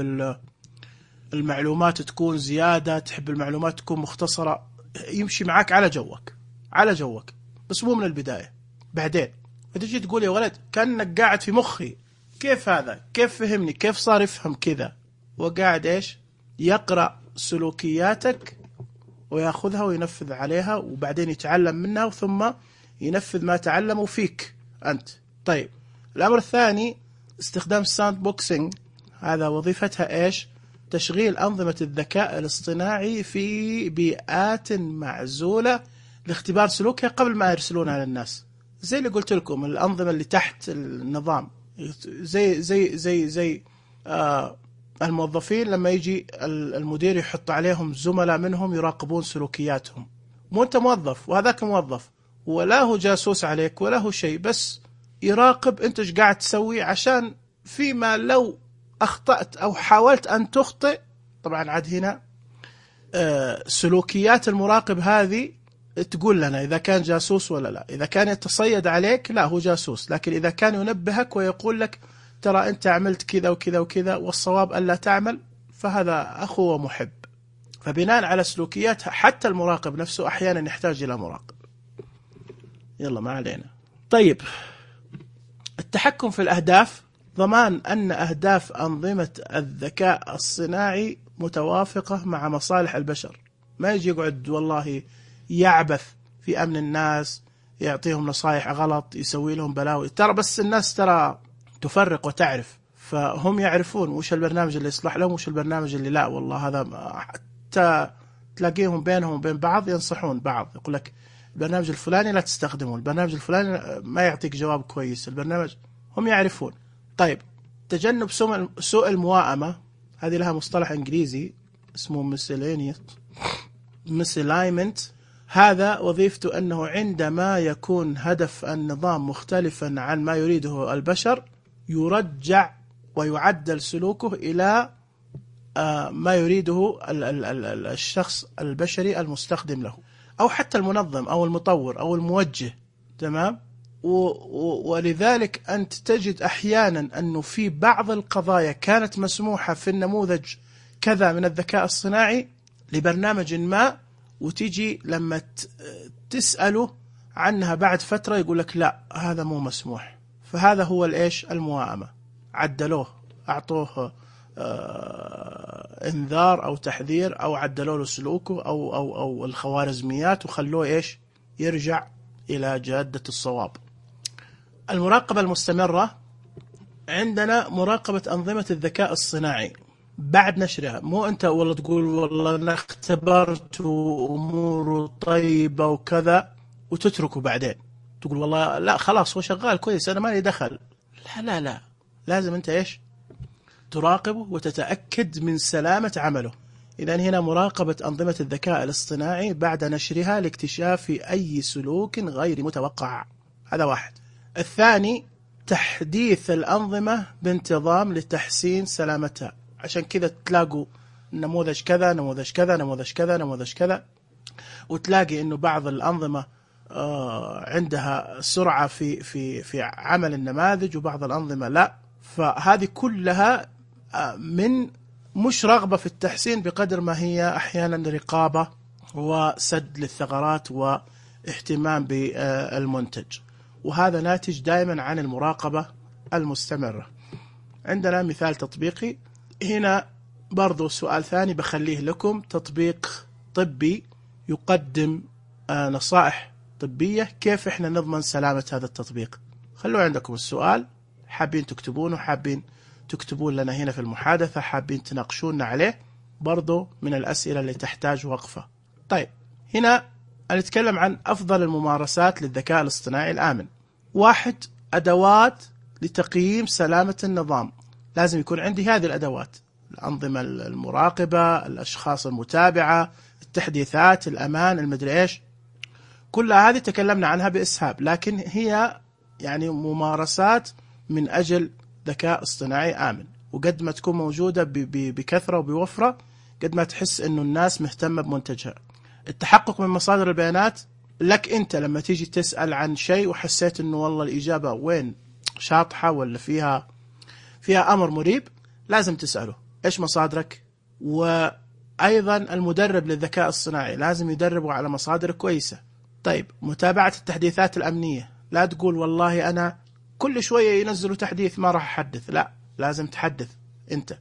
المعلومات تكون زيادة، تحب المعلومات تكون مختصرة، يمشي معاك على جوك بس مو من البداية. بعدين فتجي تقول يا ولد كأنك قاعد في مخي، كيف هذا؟ كيف فهمني؟ كيف صار يفهم كذا؟ وقاعد إيش؟ يقرأ سلوكياتك ويأخذها وينفذ عليها، وبعدين يتعلم منها ثم ينفذ ما تعلمه فيك أنت. طيب الأمر الثاني استخدام الساند بوكسينج، هذا وظيفتها إيش؟ تشغيل أنظمة الذكاء الاصطناعي في بيئات معزولة لاختبار سلوكها قبل ما يرسلونها للناس. زي اللي قلت لكم الأنظمة اللي تحت النظام، زي الموظفين لما يجي المدير يحط عليهم زملاء منهم يراقبون سلوكياتهم. مو أنت موظف وهذاك موظف، ولا هو جاسوس عليك ولا هو شيء، بس يراقب أنت إيش قاعد تسوي، عشان فيما لو أخطأت أو حاولت أن تخطئ. طبعا عاد هنا سلوكيات المراقب هذه تقول لنا إذا كان جاسوس ولا لا. إذا كان يتصيد عليك لا هو جاسوس، لكن إذا كان ينبهك ويقول لك ترى أنت عملت كذا وكذا وكذا والصواب ألا تعمل، فهذا أخو ومحب. فبناء على سلوكيات حتى المراقب نفسه أحيانا يحتاج إلى مراقب. يلا ما علينا. طيب التحكم في الأهداف، ضمان أن أهداف أنظمة الذكاء الصناعي متوافقة مع مصالح البشر. ما يجي يقعد والله يعبث في أمن الناس، يعطيهم نصائح غلط، يسوي لهم بلاوي. ترى بس الناس ترى تفرق وتعرف، فهم يعرفون وش البرنامج اللي يصلح لهم وش البرنامج اللي لا والله هذا. حتى تلاقيهم بينهم وبين بعض ينصحون بعض، يقول لك البرنامج الفلاني لا تستخدمه، البرنامج الفلاني ما يعطيك جواب كويس، البرنامج، هم يعرفون. طيب تجنب سوء المواءمة، هذه لها مصطلح إنجليزي اسمه misalignment. هذا وظيفته أنه عندما يكون هدف النظام مختلفا عن ما يريده البشر يرجع ويعدل سلوكه إلى ما يريده الشخص البشري المستخدم له، أو حتى المنظم أو المطور أو الموجه. تمام. ولذلك أنت تجد أحيانا أنه في بعض القضايا كانت مسموحة في النموذج كذا من الذكاء الصناعي لبرنامج ما، وتيجي لما تسأله عنها بعد فترة يقول لك لا هذا مو مسموح. فهذا هو الإيش؟ المواءمة. عدلوه، أعطوه انذار أو تحذير، أو عدلوا له سلوكه أو الخوارزميات وخلوه إيش؟ يرجع إلى جادة الصواب. المراقبة المستمرة، عندنا مراقبة أنظمة الذكاء الصناعي بعد نشرها. مو أنت والله تقول والله أنا اختبرت وأموره طيبة وكذا وتتركه بعدين تقول والله لا خلاص هو شغال كويس أنا ما لي دخل. لا لازم أنت إيش؟ تراقبه وتتأكد من سلامة عمله. إذن هنا مراقبة أنظمة الذكاء الاصطناعي بعد نشرها لاكتشاف أي سلوك غير متوقع. هذا واحد. الثاني تحديث الأنظمة بانتظام لتحسين سلامتها. عشان كذا تلاقوا نموذج كذا نموذج كذا نموذج كذا نموذج كذا، وتلاقي إنه بعض الأنظمة عندها سرعة في عمل النماذج وبعض الأنظمة لا. فهذه كلها من مش رغبة في التحسين بقدر ما هي أحيانا رقابة وسد للثغرات واهتمام بالمنتج، وهذا ناتج دائما عن المراقبة المستمرة. عندنا مثال تطبيقي هنا برضو، سؤال ثاني بخليه لكم. تطبيق طبي يقدم نصائح طبية، كيف احنا نضمن سلامة هذا التطبيق؟ خلوا عندكم السؤال، حابين تكتبونه، حابين تكتبون لنا هنا في المحادثة، حابين تناقشونا عليه، برضو من الأسئلة اللي تحتاج وقفة. طيب هنا أنا أتكلم عن أفضل الممارسات للذكاء الاصطناعي الآمن. 1. أدوات لتقييم سلامة النظام. لازم يكون عندي هذه الأدوات: الأنظمة المراقبة، الأشخاص المتابعة، التحديثات، الأمان، المدري إيش. كل هذه تكلمنا عنها بإسهاب، لكن هي يعني ممارسات من أجل ذكاء اصطناعي آمن. وقد ما تكون موجودة بكثرة وبوفرة، قد ما تحس إنه الناس مهتمة بمنتجها. التحقق من مصادر البيانات لك أنت، لما تيجي تسأل عن شيء وحسيت إنه والله الإجابة وين شاطحة ولا فيها أمر مريب، لازم تسأله إيش مصادرك. وأيضا المدرب للذكاء الصناعي لازم يدربه على مصادر كويسة. طيب، متابعة التحديثات الأمنية. لا تقول والله أنا كل شوية ينزلوا تحديث ما راح أحدث، لا، لازم تحدث أنت.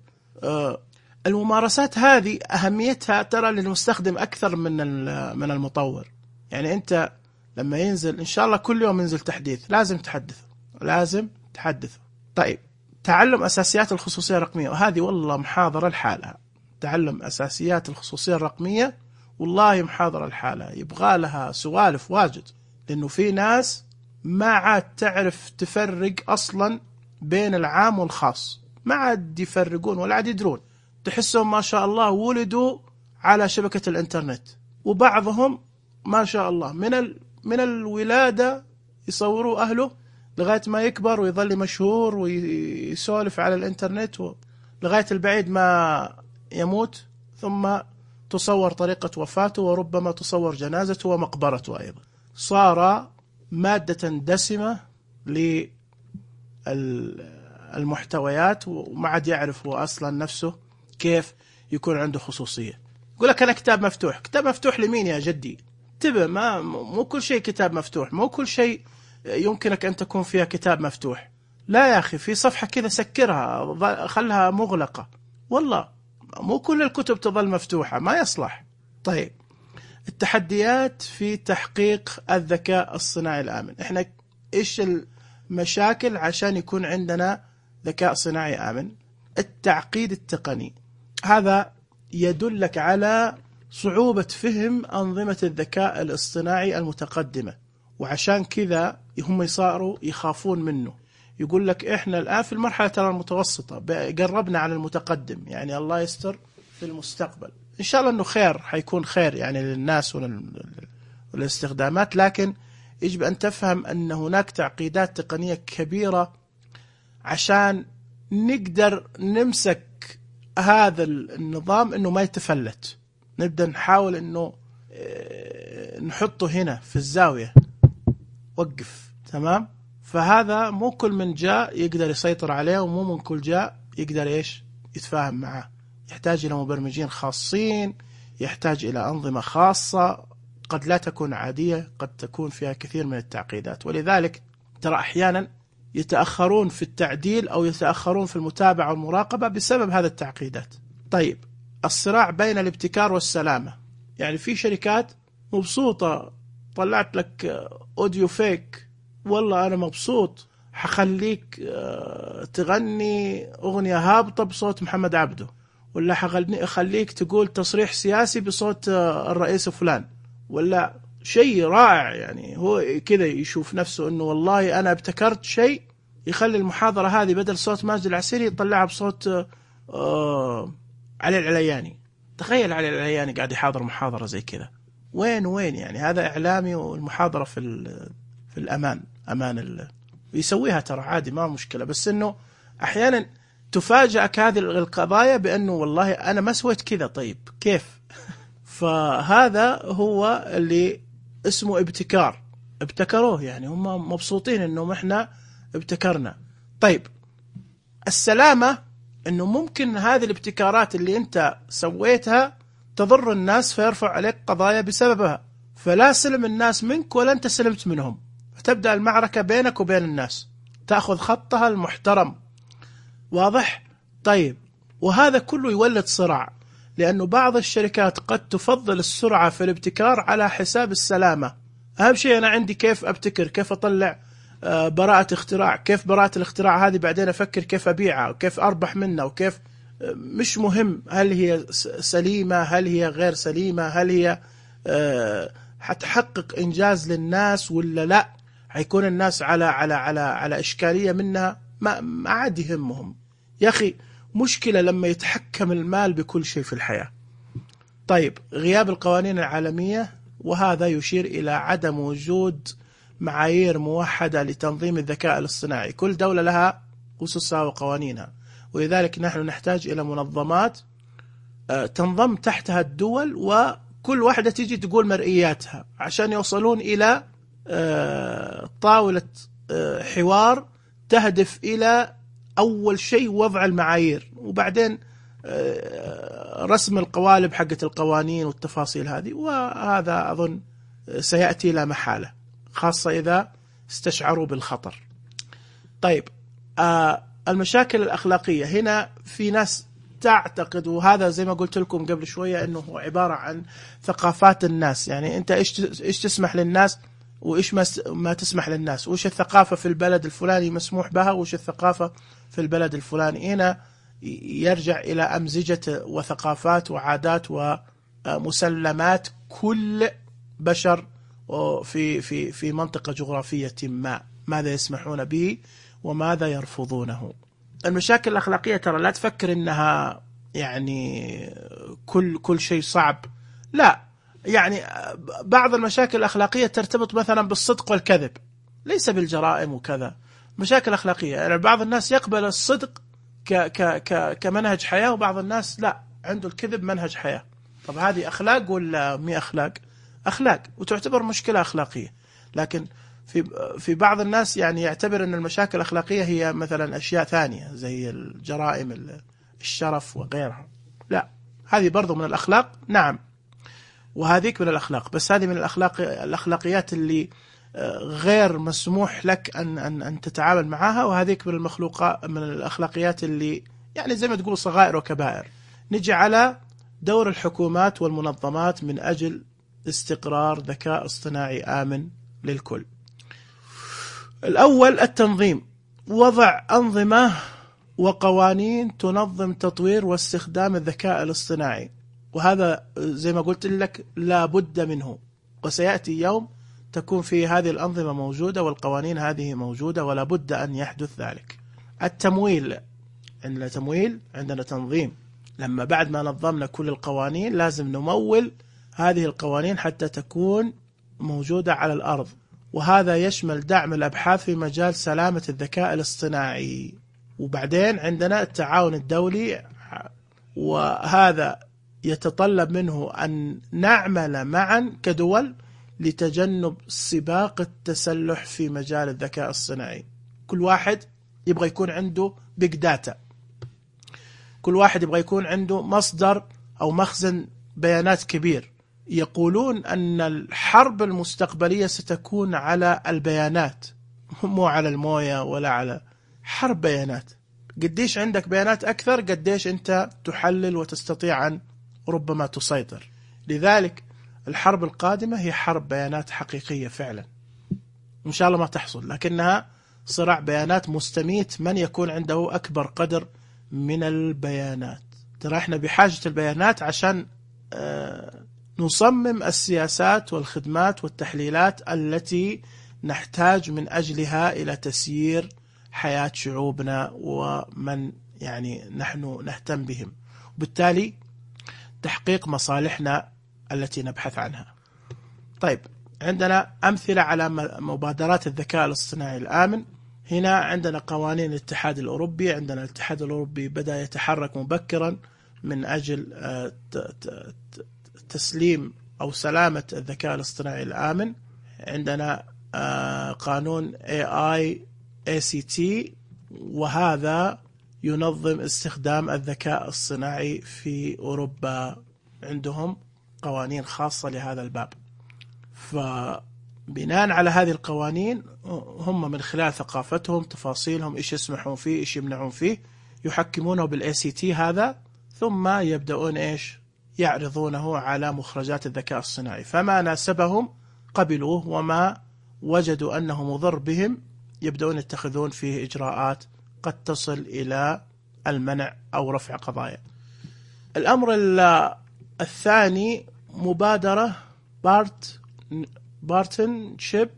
الممارسات هذه أهميتها ترى للمستخدم أكثر من المطور. يعني أنت لما ينزل إن شاء الله كل يوم ينزل تحديث، لازم تحدثه. طيب، تعلم أساسيات الخصوصية الرقمية، وهذه والله محاضرة لحالها. تعلم أساسيات الخصوصية الرقمية والله محاضرة لحالها، يبغى لها سوالف واجد، لأنه في ناس ما عاد تعرف تفرق أصلا بين العام والخاص، ما عاد يفرقون ولا عاد يدرون. تحسهم ما شاء الله ولدوا على شبكة الإنترنت، وبعضهم ما شاء الله من الولادة يصوروا أهله لغاية ما يكبر ويظل مشهور ويسولف على الإنترنت لغاية البعيد ما يموت، ثم تصور طريقة وفاته، وربما تصور جنازته ومقبرته أيضا. صار مادة دسمة للمحتويات، وما عاد يعرف هو أصلا نفسه كيف يكون عنده خصوصية. يقول لك أنا كتاب مفتوح لمين يا جدي؟ انتبه، مو كل شيء كتاب مفتوح، مو كل شيء يمكنك أن تكون فيها كتاب مفتوح. لا يا أخي، في صفحة كذا سكرها، خلها مغلقة. والله مو كل الكتب تظل مفتوحة، ما يصلح. طيب، التحديات في تحقيق الذكاء الصناعي الآمن. إحنا إيش المشاكل عشان يكون عندنا ذكاء صناعي آمن؟ التعقيد التقني، هذا يدلك على صعوبة فهم أنظمة الذكاء الاصطناعي المتقدمة، وعشان كذا هم صاروا يخافون منه. يقول لك إحنا الآن في المرحلة المتوسطة، قربنا على المتقدم، يعني الله يستر في المستقبل إن شاء الله أنه خير، حيكون خير يعني للناس والاستخدامات. لكن يجب أن تفهم أن هناك تعقيدات تقنية كبيرة عشان نقدر نمسك هذا النظام أنه ما يتفلت. نبدأ نحاول أنه نحطه هنا في الزاوية، وقف، تمام؟ فهذا مو كل من جاء يقدر يسيطر عليه، ومو من كل جاء يقدر يتفاهم معه. يحتاج إلى مبرمجين خاصين، يحتاج إلى أنظمة خاصة قد لا تكون عادية، قد تكون فيها كثير من التعقيدات. ولذلك ترى أحيانا يتأخرون في التعديل أو يتأخرون في المتابعة والمراقبة بسبب هذا التعقيدات. طيب، الصراع بين الابتكار والسلامة. يعني في شركات مبسوطة، طلعت لك أوديو فيك، والله أنا مبسوط، حخليك تغني أغنية هابطة بصوت محمد عبده، ولا حخليك تقول تصريح سياسي بصوت الرئيس فلان، ولا شيء رائع. يعني هو كذا يشوف نفسه أنه والله أنا ابتكرت شيء، يخلي المحاضرة هذه بدل صوت ماجد العسيري يطلعها بصوت علي العلياني. تخيل علي العلياني قاعد يحاضر محاضرة زي كذا، وين يعني هذا إعلامي، والمحاضرة في الأمان، يسويها ترى عادي، ما مشكلة. بس إنه أحيانا تفاجأك هذه القضايا بأنه والله أنا ما سويت كذا، طيب كيف؟ فهذا هو اللي اسمه ابتكار، ابتكروه، يعني هم مبسوطين إنه إحنا ابتكرنا. طيب، السلامة إنه ممكن هذه الابتكارات اللي أنت سويتها تضر الناس فيرفع عليك قضايا بسببها، فلا سلم الناس منك ولا أنت سلمت منهم، فتبدأ المعركة بينك وبين الناس، تأخذ خطها المحترم. واضح؟ طيب، وهذا كله يولد صراع، لأنه بعض الشركات قد تفضل السرعة في الابتكار على حساب السلامة. أهم شيء أنا عندي كيف أبتكر، كيف أطلع براءة اختراع، كيف براءة الاختراع هذه بعدين أفكر كيف أبيعها وكيف أربح منها، وكيف مش مهم هل هي سليمة، هل هي غير سليمة، حتحقق إنجاز للناس ولا لا، حيكون الناس على إشكالية منها، ما عاد يهمهم. يا أخي مشكلة لما يتحكم المال بكل شيء في الحياة. طيب، غياب القوانين العالمية، وهذا يشير إلى عدم وجود معايير موحدة لتنظيم الذكاء الاصطناعي. كل دولة لها أسسها وقوانينها، ولذلك نحن نحتاج إلى منظمات تنضم تحتها الدول، وكل واحدة تيجي تقول مرئياتها عشان يوصلون إلى طاولة حوار تهدف إلى أول شيء وضع المعايير، وبعدين رسم القوالب حقة القوانين والتفاصيل هذه. وهذا أظن سيأتي لا محالة، خاصة إذا استشعروا بالخطر. طيب، المشاكل الأخلاقية هنا، في ناس تعتقد، وهذا زي ما قلت لكم قبل شوية، أنه هو عبارة عن ثقافات الناس. يعني أنت إيش تسمح للناس وإيش ما تسمح للناس، وإيش الثقافة في البلد الفلاني مسموح بها وإيش الثقافة في البلد الفلاني. هنا يرجع إلى أمزجة وثقافات وعادات ومسلمات كل بشر في منطقة جغرافية ما، ماذا يسمحون به وماذا يرفضونه. المشاكل الأخلاقية ترى لا تفكر إنها يعني كل شيء صعب، لا. يعني بعض المشاكل الأخلاقية ترتبط مثلا بالصدق والكذب، ليس بالجرائم وكذا. مشاكل أخلاقية يعني بعض الناس يقبل الصدق كمنهج حياة، وبعض الناس لا، عنده الكذب منهج حياة. طب هذه أخلاق ولا مي أخلاق؟ أخلاق، وتعتبر مشكلة أخلاقية. لكن في بعض الناس يعني يعتبر أن المشاكل الأخلاقية هي مثلا أشياء ثانية زي الجرائم، الشرف وغيرها. لا، هذه برضو من الأخلاق، نعم، وهذيك من الأخلاق، بس هذه من الأخلاقيات اللي غير مسموح لك أن تتعامل معها، وهذيك من من الأخلاقيات اللي يعني زي ما تقول صغائر وكبائر. نجي على دور الحكومات والمنظمات من أجل استقرار ذكاء اصطناعي آمن للكل. الأول التنظيم، وضع أنظمة وقوانين تنظم تطوير واستخدام الذكاء الاصطناعي، وهذا زي ما قلت لك لا بد منه، وسيأتي يوم تكون في هذه الأنظمة موجودة والقوانين هذه موجودة، ولا بد أن يحدث ذلك. التمويل، عندنا تمويل، عندنا تنظيم. لما بعد ما نظمنا كل القوانين لازم نمول هذه القوانين حتى تكون موجودة على الأرض، وهذا يشمل دعم الأبحاث في مجال سلامة الذكاء الاصطناعي. وبعدين عندنا التعاون الدولي، وهذا يتطلب منه أن نعمل معا كدول لتجنب سباق التسلح في مجال الذكاء الصناعي. كل واحد يبغى يكون عنده بيج داتا، كل واحد يبغى يكون عنده مصدر أو مخزن بيانات كبير. يقولون أن الحرب المستقبلية ستكون على البيانات، مو على الموية ولا على حرب بيانات. قديش عندك بيانات أكثر قديش أنت تحلل وتستطيع أن ربما تسيطر. لذلك الحرب القادمة هي حرب بيانات حقيقية فعلا، إن شاء الله ما تحصل، لكنها صراع بيانات مستميت، من يكون عنده أكبر قدر من البيانات. ترى احنا بحاجة البيانات عشان نصمم السياسات والخدمات والتحليلات التي نحتاج من أجلها إلى تسيير حياة شعوبنا ومن يعني نحن نهتم بهم، وبالتالي تحقيق مصالحنا التي نبحث عنها. طيب، عندنا أمثلة على مبادرات الذكاء الاصطناعي الآمن. هنا عندنا قوانين الاتحاد الأوروبي. عندنا الاتحاد الأوروبي بدأ يتحرك مبكرا من أجل تسليم أو سلامة الذكاء الاصطناعي الآمن. عندنا قانون ACT، وهذا ينظم استخدام الذكاء الصناعي في أوروبا، عندهم قوانين خاصة لهذا الباب. فبناء على هذه القوانين هم من خلال ثقافتهم، تفاصيلهم، إيش يسمحون فيه إيش يمنعون فيه، يحكمونه بالACT هذا، ثم يبدأون إيش يعرضونه على مخرجات الذكاء الصناعي. فما ناسبهم قبلوه، وما وجدوا أنه مضر بهم يبدأون يتخذون فيه إجراءات قد تصل إلى المنع أو رفع قضايا. الأمر الثاني مبادرة BART partnership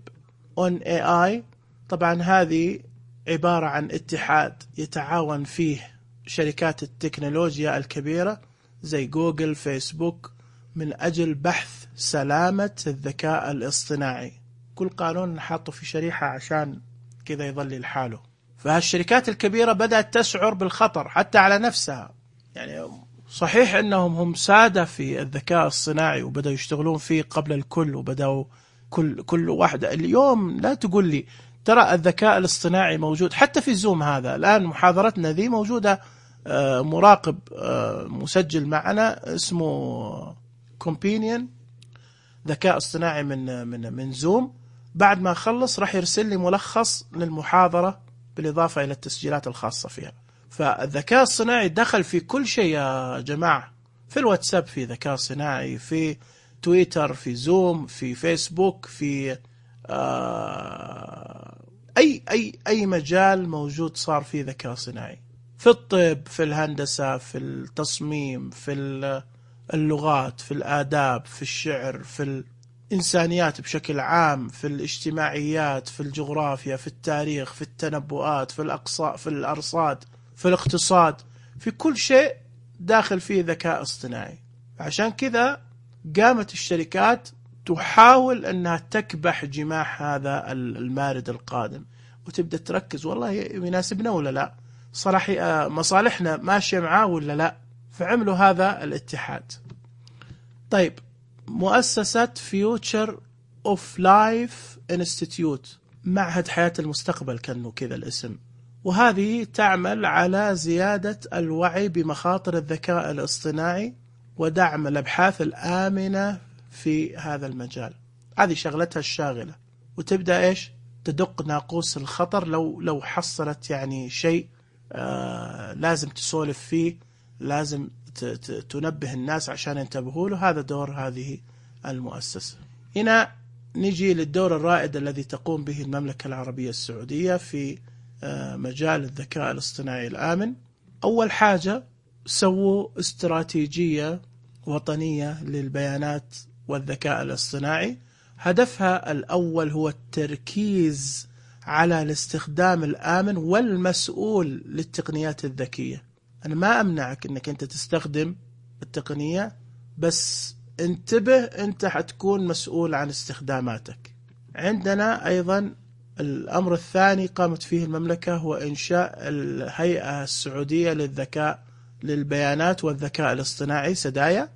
on AI. طبعا هذه عبارة عن اتحاد يتعاون فيه شركات التكنولوجيا الكبيرة زي جوجل، فيسبوك، من أجل بحث سلامة الذكاء الاصطناعي. كل قانون نحطه في شريحة عشان كذا يظل لحاله. فهالشركات الكبيرة بدأت تشعر بالخطر حتى على نفسها. يعني صحيح أنهم هم سادة في الذكاء الصناعي وبدأوا يشتغلون فيه قبل الكل، وبدأوا كل واحدة اليوم لا تقول لي ترى الذكاء الاصطناعي موجود حتى في زوم. هذا الآن محاضرتنا ذي موجودة، مراقب مسجل معنا اسمه كومبينيون ذكاء اصطناعي من زوم. بعد ما خلص راح يرسل لي ملخص للمحاضرة بالإضافة إلى التسجيلات الخاصة فيها. فالذكاء الصناعي دخل في كل شيء يا جماعة، في الواتساب في ذكاء صناعي، في تويتر، في زوم، في فيسبوك، في أي مجال موجود صار فيه ذكاء صناعي، في الطب، في الهندسة، في التصميم، في اللغات، في الآداب، في الشعر، في الإنسانيات بشكل عام، في الاجتماعيات، في الجغرافيا، في التاريخ، في التنبؤات، في الأقصاء، في الأرصاد، في الاقتصاد، في كل شيء داخل فيه ذكاء اصطناعي. عشان كذا قامت الشركات تحاول أنها تكبح جماح هذا المارد القادم، وتبدأ تركز والله يناسبنا ولا لا، مصالحنا ماشية معاه ولا لا. فعملوا هذا الاتحاد. طيب، مؤسسة فيوتشر اوف لايف انستيتيوت، معهد حياة المستقبل كأنه كذا الاسم، وهذه تعمل على زيادة الوعي بمخاطر الذكاء الاصطناعي ودعم الأبحاث الآمنة في هذا المجال. هذه شغلتها الشاغلة، وتبدأ تدق ناقوس الخطر لو حصلت يعني شيء لازم تسولف فيه، لازم تنبه الناس عشان ينتبهوا له. هذا دور هذه المؤسسة. هنا نجي للدور الرائد الذي تقوم به المملكة العربية السعودية في مجال الذكاء الاصطناعي الآمن. أول حاجة سووا استراتيجية وطنية للبيانات والذكاء الاصطناعي. هدفها الأول هو التركيز على الاستخدام الآمن والمسؤول للتقنيات الذكية. أنا ما أمنعك أنك أنت تستخدم التقنية، بس انتبه أنت حتكون مسؤول عن استخداماتك. عندنا أيضا الأمر الثاني قامت فيه المملكة هو إنشاء الهيئة السعودية للبيانات والذكاء الاصطناعي سدايا،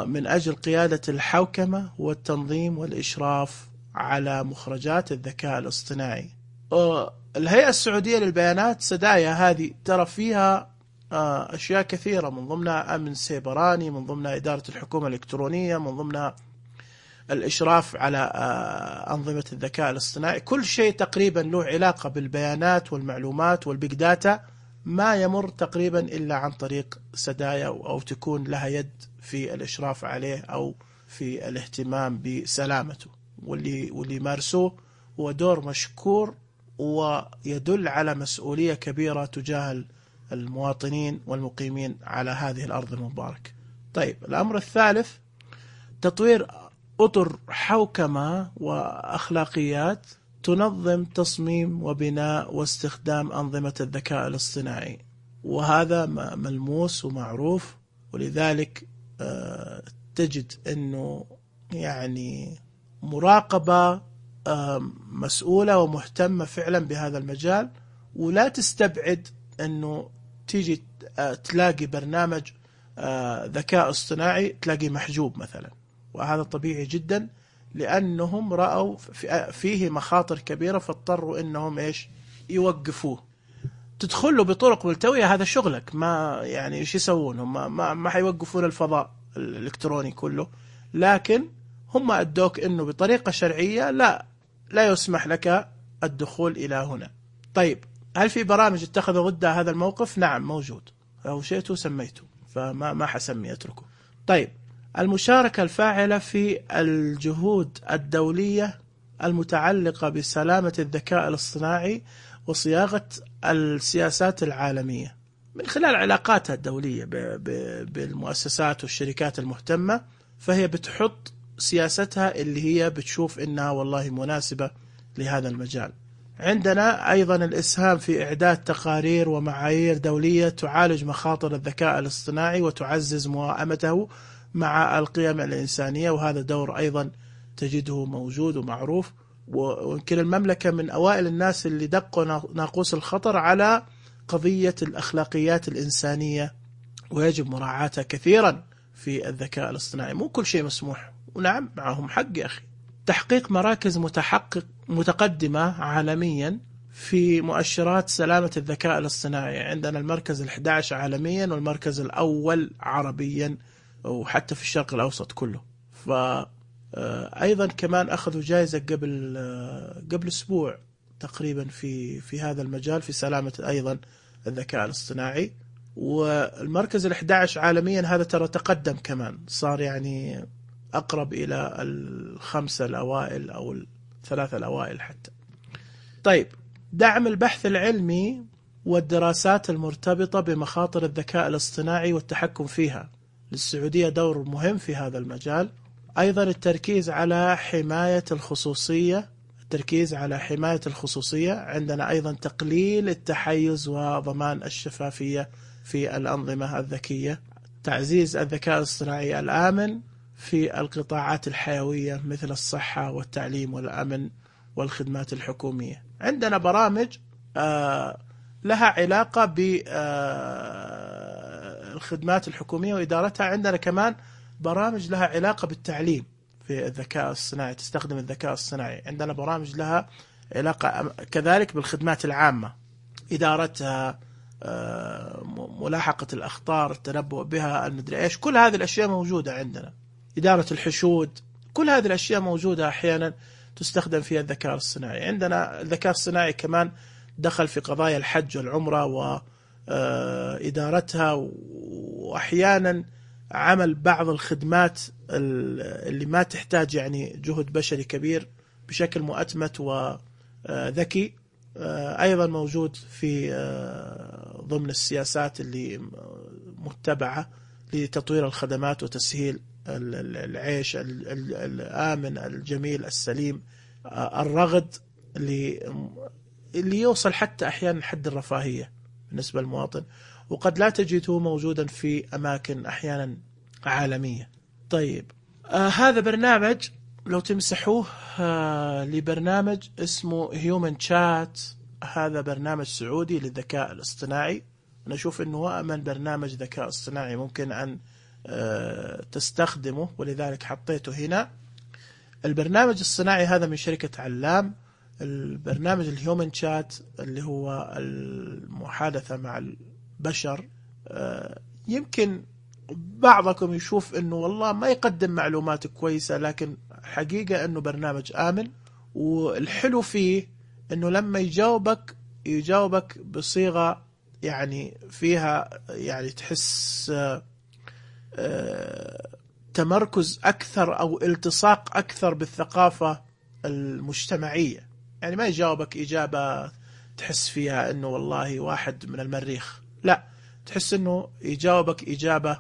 من أجل قيادة الحوكمة والتنظيم والإشراف على مخرجات الذكاء الاصطناعي. الهيئة السعودية للبيانات سدايا هذه ترى فيها أشياء كثيرة، من ضمنها أمن سيبراني، من ضمنها إدارة الحكومة الإلكترونية، من ضمنها الإشراف على أنظمة الذكاء الاصطناعي. كل شيء تقريبا له علاقة بالبيانات والمعلومات والبيج داتا ما يمر تقريبا إلا عن طريق سدايا، أو تكون لها يد في الإشراف عليه أو في الاهتمام بسلامته. واللي مارسوه هو دور مشكور ويدل على مسؤولية كبيرة تجاه المواطنين والمقيمين على هذه الأرض المباركة. طيب، الأمر الثالث تطوير أطر حوكمة وأخلاقيات تنظم تصميم وبناء واستخدام أنظمة الذكاء الاصطناعي، وهذا ملموس ومعروف. ولذلك تجد أنه يعني مراقبة مسؤولة ومهتمة فعلا بهذا المجال. ولا تستبعد أنه تيجي تلاقي برنامج ذكاء اصطناعي تلاقي محجوب مثلا، وهذا طبيعي جدا لأنهم رأوا فيه مخاطر كبيرة فاضطروا أنهم يوقفوه. تدخلوا بطرق ملتوية، هذا شغلك، ما يعني إيش يسوون هم؟ ما حيوقفون الفضاء الإلكتروني كله، لكن هم أدوك أنه بطريقة شرعية لا يسمح لك الدخول إلى هنا. طيب، هل في برامج اتخذوا ضد هذا الموقف؟ نعم موجود، أو شئتوا سميته، فما حسمي أتركه. طيب، المشاركة الفاعلة في الجهود الدولية المتعلقة بسلامة الذكاء الاصطناعي وصياغة السياسات العالمية من خلال علاقاتها الدولية بالمؤسسات والشركات المهتمة. فهي بتحط سياستها اللي هي بتشوف إنها والله مناسبة لهذا المجال. عندنا أيضا الإسهام في إعداد تقارير ومعايير دولية تعالج مخاطر الذكاء الاصطناعي وتعزز موائمته مع القيم الإنسانية، وهذا دور أيضا تجده موجود ومعروف. ويمكن المملكة من أوائل الناس اللي دقوا ناقوس الخطر على قضية الأخلاقيات الإنسانية، ويجب مراعاتها كثيرا في الذكاء الاصطناعي. مو كل شيء مسموح، ونعم معهم حق يا أخي. تحقيق مراكز متقدمة عالميا في مؤشرات سلامة الذكاء الاصطناعي. عندنا المركز 11 عالميا والمركز الأول عربيا وحتى في الشرق الأوسط كله. فأيضا كمان أخذوا جائزة قبل أسبوع تقريبا في هذا المجال في سلامة أيضا الذكاء الاصطناعي. والمركز 11 عالميا هذا ترى تقدم كمان، صار يعني أقرب إلى الخمسة الأوائل أو الثلاثة الأوائل حتى. طيب، دعم البحث العلمي والدراسات المرتبطة بمخاطر الذكاء الاصطناعي والتحكم فيها. للسعودية دور مهم في هذا المجال. أيضا التركيز على حماية الخصوصية. عندنا أيضا تقليل التحيز وضمان الشفافية في الأنظمة الذكية. تعزيز الذكاء الاصطناعي الآمن في القطاعات الحيوية مثل الصحة والتعليم والأمن والخدمات الحكومية. عندنا برامج لها علاقة بالخدمات الحكومية وإدارتها. عندنا كمان برامج لها علاقة بالتعليم في الذكاء الصناعي، تستخدم الذكاء الصناعي. عندنا برامج لها علاقة كذلك بالخدمات العامة، إدارتها، ملاحقة الأخطار، التنبؤ بها، المدري إيش. كل هذه الأشياء موجودة عندنا. إدارة الحشود، كل هذه الأشياء موجودة أحيانا تستخدم فيها الذكاء الصناعي. عندنا الذكاء الصناعي كمان دخل في قضايا الحج والعمرة وإدارتها، وأحيانا عمل بعض الخدمات اللي ما تحتاج يعني جهد بشري كبير بشكل مؤتمت وذكي. أيضا موجود في ضمن السياسات اللي متبعة لتطوير الخدمات وتسهيل العيش الآمن الجميل السليم الرغد اللي يوصل حتى أحيانا حد الرفاهية بالنسبة للمواطن، وقد لا تجده موجودا في أماكن أحيانا عالمية. طيب، هذا برنامج لو تمسحوه لبرنامج اسمه هيومن شات. هذا برنامج سعودي للذكاء الاصطناعي. أنا أشوف أنه هو أمن برنامج ذكاء اصطناعي ممكن أن تستخدمه، ولذلك حطيته هنا. البرنامج الصناعي هذا من شركة علام. البرنامج الهيومن شات اللي هو المحادثة مع البشر. يمكن بعضكم يشوف انه والله ما يقدم معلومات كويسة، لكن حقيقة انه برنامج آمن. والحلو فيه انه لما يجاوبك بصيغة يعني فيها يعني تحس تمركز أكثر أو التصاق أكثر بالثقافة المجتمعية. يعني ما يجاوبك إجابة تحس فيها أنه والله واحد من المريخ، لا، تحس أنه يجاوبك إجابة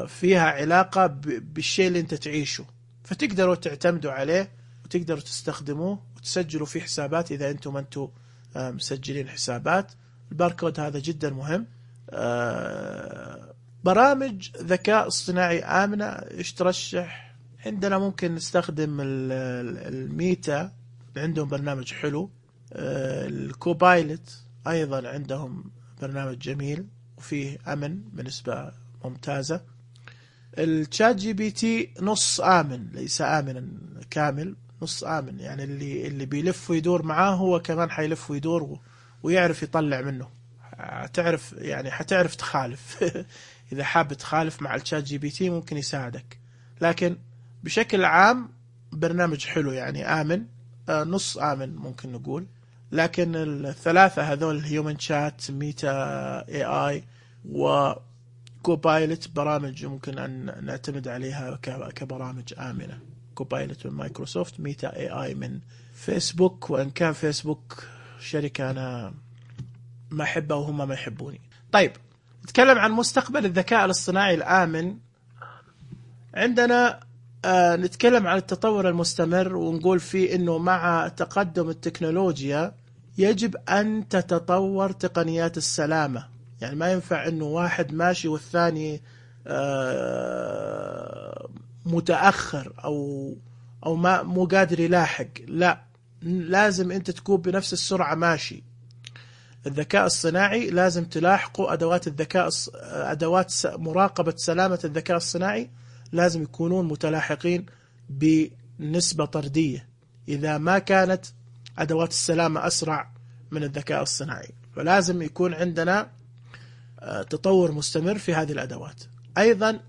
فيها علاقة بالشيء اللي أنت تعيشه، فتقدروا تعتمدوا عليه وتقدروا تستخدموه وتسجلوا فيه حسابات إذا أنتم مسجلين حسابات. الباركود هذا جدا مهم. برامج ذكاء اصطناعي آمنة إيش ترشح؟ عندنا ممكن نستخدم الميتا، عندهم برنامج حلو. الكوبايلت أيضا عندهم برنامج جميل وفيه أمن بنسبة ممتازة. الشات جي بي تي نص آمن، ليس آمنا كامل، نص آمن. يعني اللي بيلف ويدور معاه هو كمان حيلف ويدور ويعرف يطلع منه. حتعرف تخالف إذا حاب تخالف مع الشات جي بي تي ممكن يساعدك، لكن بشكل عام برنامج حلو يعني آمن، نص آمن ممكن نقول. لكن الثلاثة هذول هيومن شات، ميتا اي اي وكوبايلت برامج ممكن أن نعتمد عليها كبرامج آمنة. كوبايلت من مايكروسوفت، ميتا اي اي من فيسبوك، وإن كان فيسبوك شركة أنا ما أحبها وهم ما يحبوني. طيب، نتكلم عن مستقبل الذكاء الاصطناعي الآمن. عندنا نتكلم عن التطور المستمر ونقول فيه أنه مع تقدم التكنولوجيا يجب أن تتطور تقنيات السلامة. يعني ما ينفع أنه واحد ماشي والثاني متأخر أو ما مو قادر يلاحق. لا، لازم أنت تكون بنفس السرعة ماشي. الذكاء الصناعي لازم تلاحقه. أدوات مراقبة سلامة الذكاء الصناعي لازم يكونون متلاحقين بنسبة طردية إذا ما كانت أدوات السلامة أسرع من الذكاء الصناعي. فلازم يكون عندنا تطور مستمر في هذه الأدوات. أيضا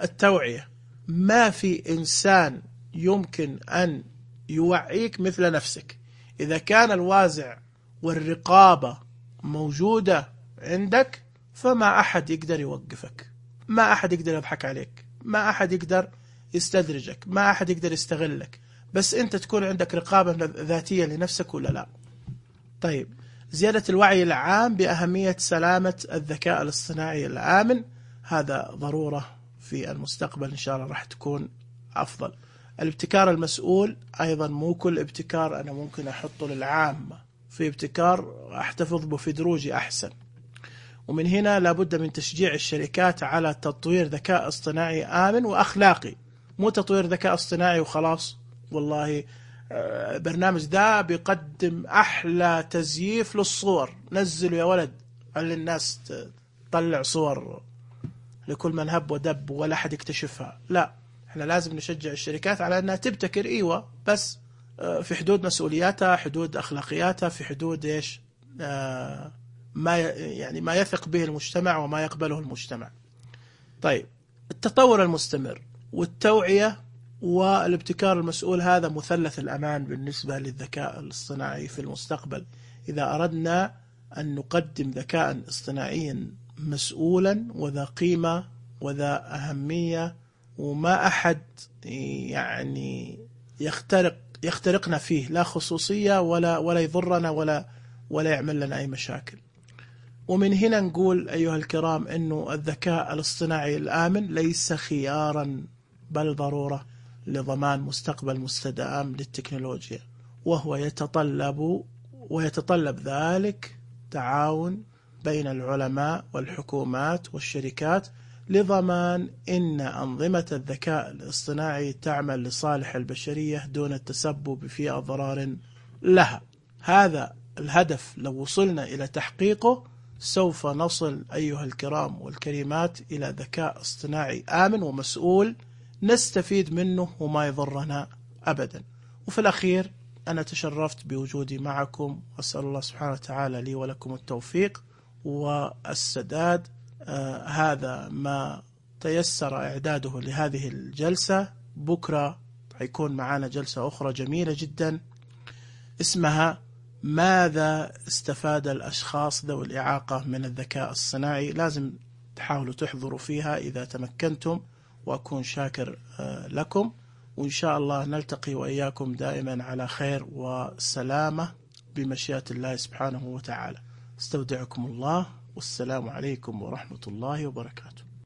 التوعية. ما في إنسان يمكن أن يوعيك مثل نفسك. إذا كان الوازع والرقابة موجودة عندك فما أحد يقدر يوقفك، ما أحد يقدر يضحك عليك، ما أحد يقدر يستدرجك، ما أحد يقدر يستغلك، بس أنت تكون عندك رقابة ذاتية لنفسك ولا لا. طيب، زيادة الوعي العام بأهمية سلامة الذكاء الاصطناعي الآمن، هذا ضرورة في المستقبل إن شاء الله راح تكون أفضل. الابتكار المسؤول، أيضا مو كل ابتكار أنا ممكن أحطه للعامة، في ابتكار أحتفظ به في دروجي أحسن. ومن هنا لابد من تشجيع الشركات على تطوير ذكاء اصطناعي آمن وأخلاقي، مو تطوير ذكاء اصطناعي وخلاص والله برنامج ذا بيقدم أحلى تزييف للصور، نزلوا يا ولد على الناس تطلع صور لكل من هب ودب ولا أحد يكتشفها. لا، احنا لازم نشجع الشركات على أنها تبتكر، إيوة، بس في حدود مسؤولياتها، حدود أخلاقياتها، في حدود إيش ما يثق به المجتمع وما يقبله المجتمع. طيب، التطور المستمر والتوعية والابتكار المسؤول، هذا مثلث الأمان بالنسبة للذكاء الاصطناعي في المستقبل. إذا أردنا أن نقدم ذكاء اصطناعيا مسؤولا وذا قيمة وذا أهمية وما أحد يعني يخترقنا فيه، لا خصوصية ولا يضرنا ولا يعمل لنا أي مشاكل. ومن هنا نقول أيها الكرام أنه الذكاء الاصطناعي الآمن ليس خيارا بل ضرورة لضمان مستقبل مستدام للتكنولوجيا، وهو يتطلب ذلك تعاون بين العلماء والحكومات والشركات لضمان أن أنظمة الذكاء الاصطناعي تعمل لصالح البشرية دون التسبب في أضرار لها. هذا الهدف لو وصلنا إلى تحقيقه سوف نصل أيها الكرام والكريمات إلى ذكاء اصطناعي آمن ومسؤول نستفيد منه وما يضرنا أبدا. وفي الأخير أنا تشرفت بوجودي معكم، وأسأل الله سبحانه وتعالى لي ولكم التوفيق والسداد. هذا ما تيسر إعداده لهذه الجلسة. بكرة حيكون معنا جلسة أخرى جميلة جدا اسمها ماذا استفاد الأشخاص ذوي الإعاقة من الذكاء الصناعي. لازم تحاولوا تحضروا فيها إذا تمكنتم، وأكون شاكر لكم. وإن شاء الله نلتقي وإياكم دائما على خير وسلامة بمشيئة الله سبحانه وتعالى. استودعكم الله، والسلام عليكم ورحمة الله وبركاته.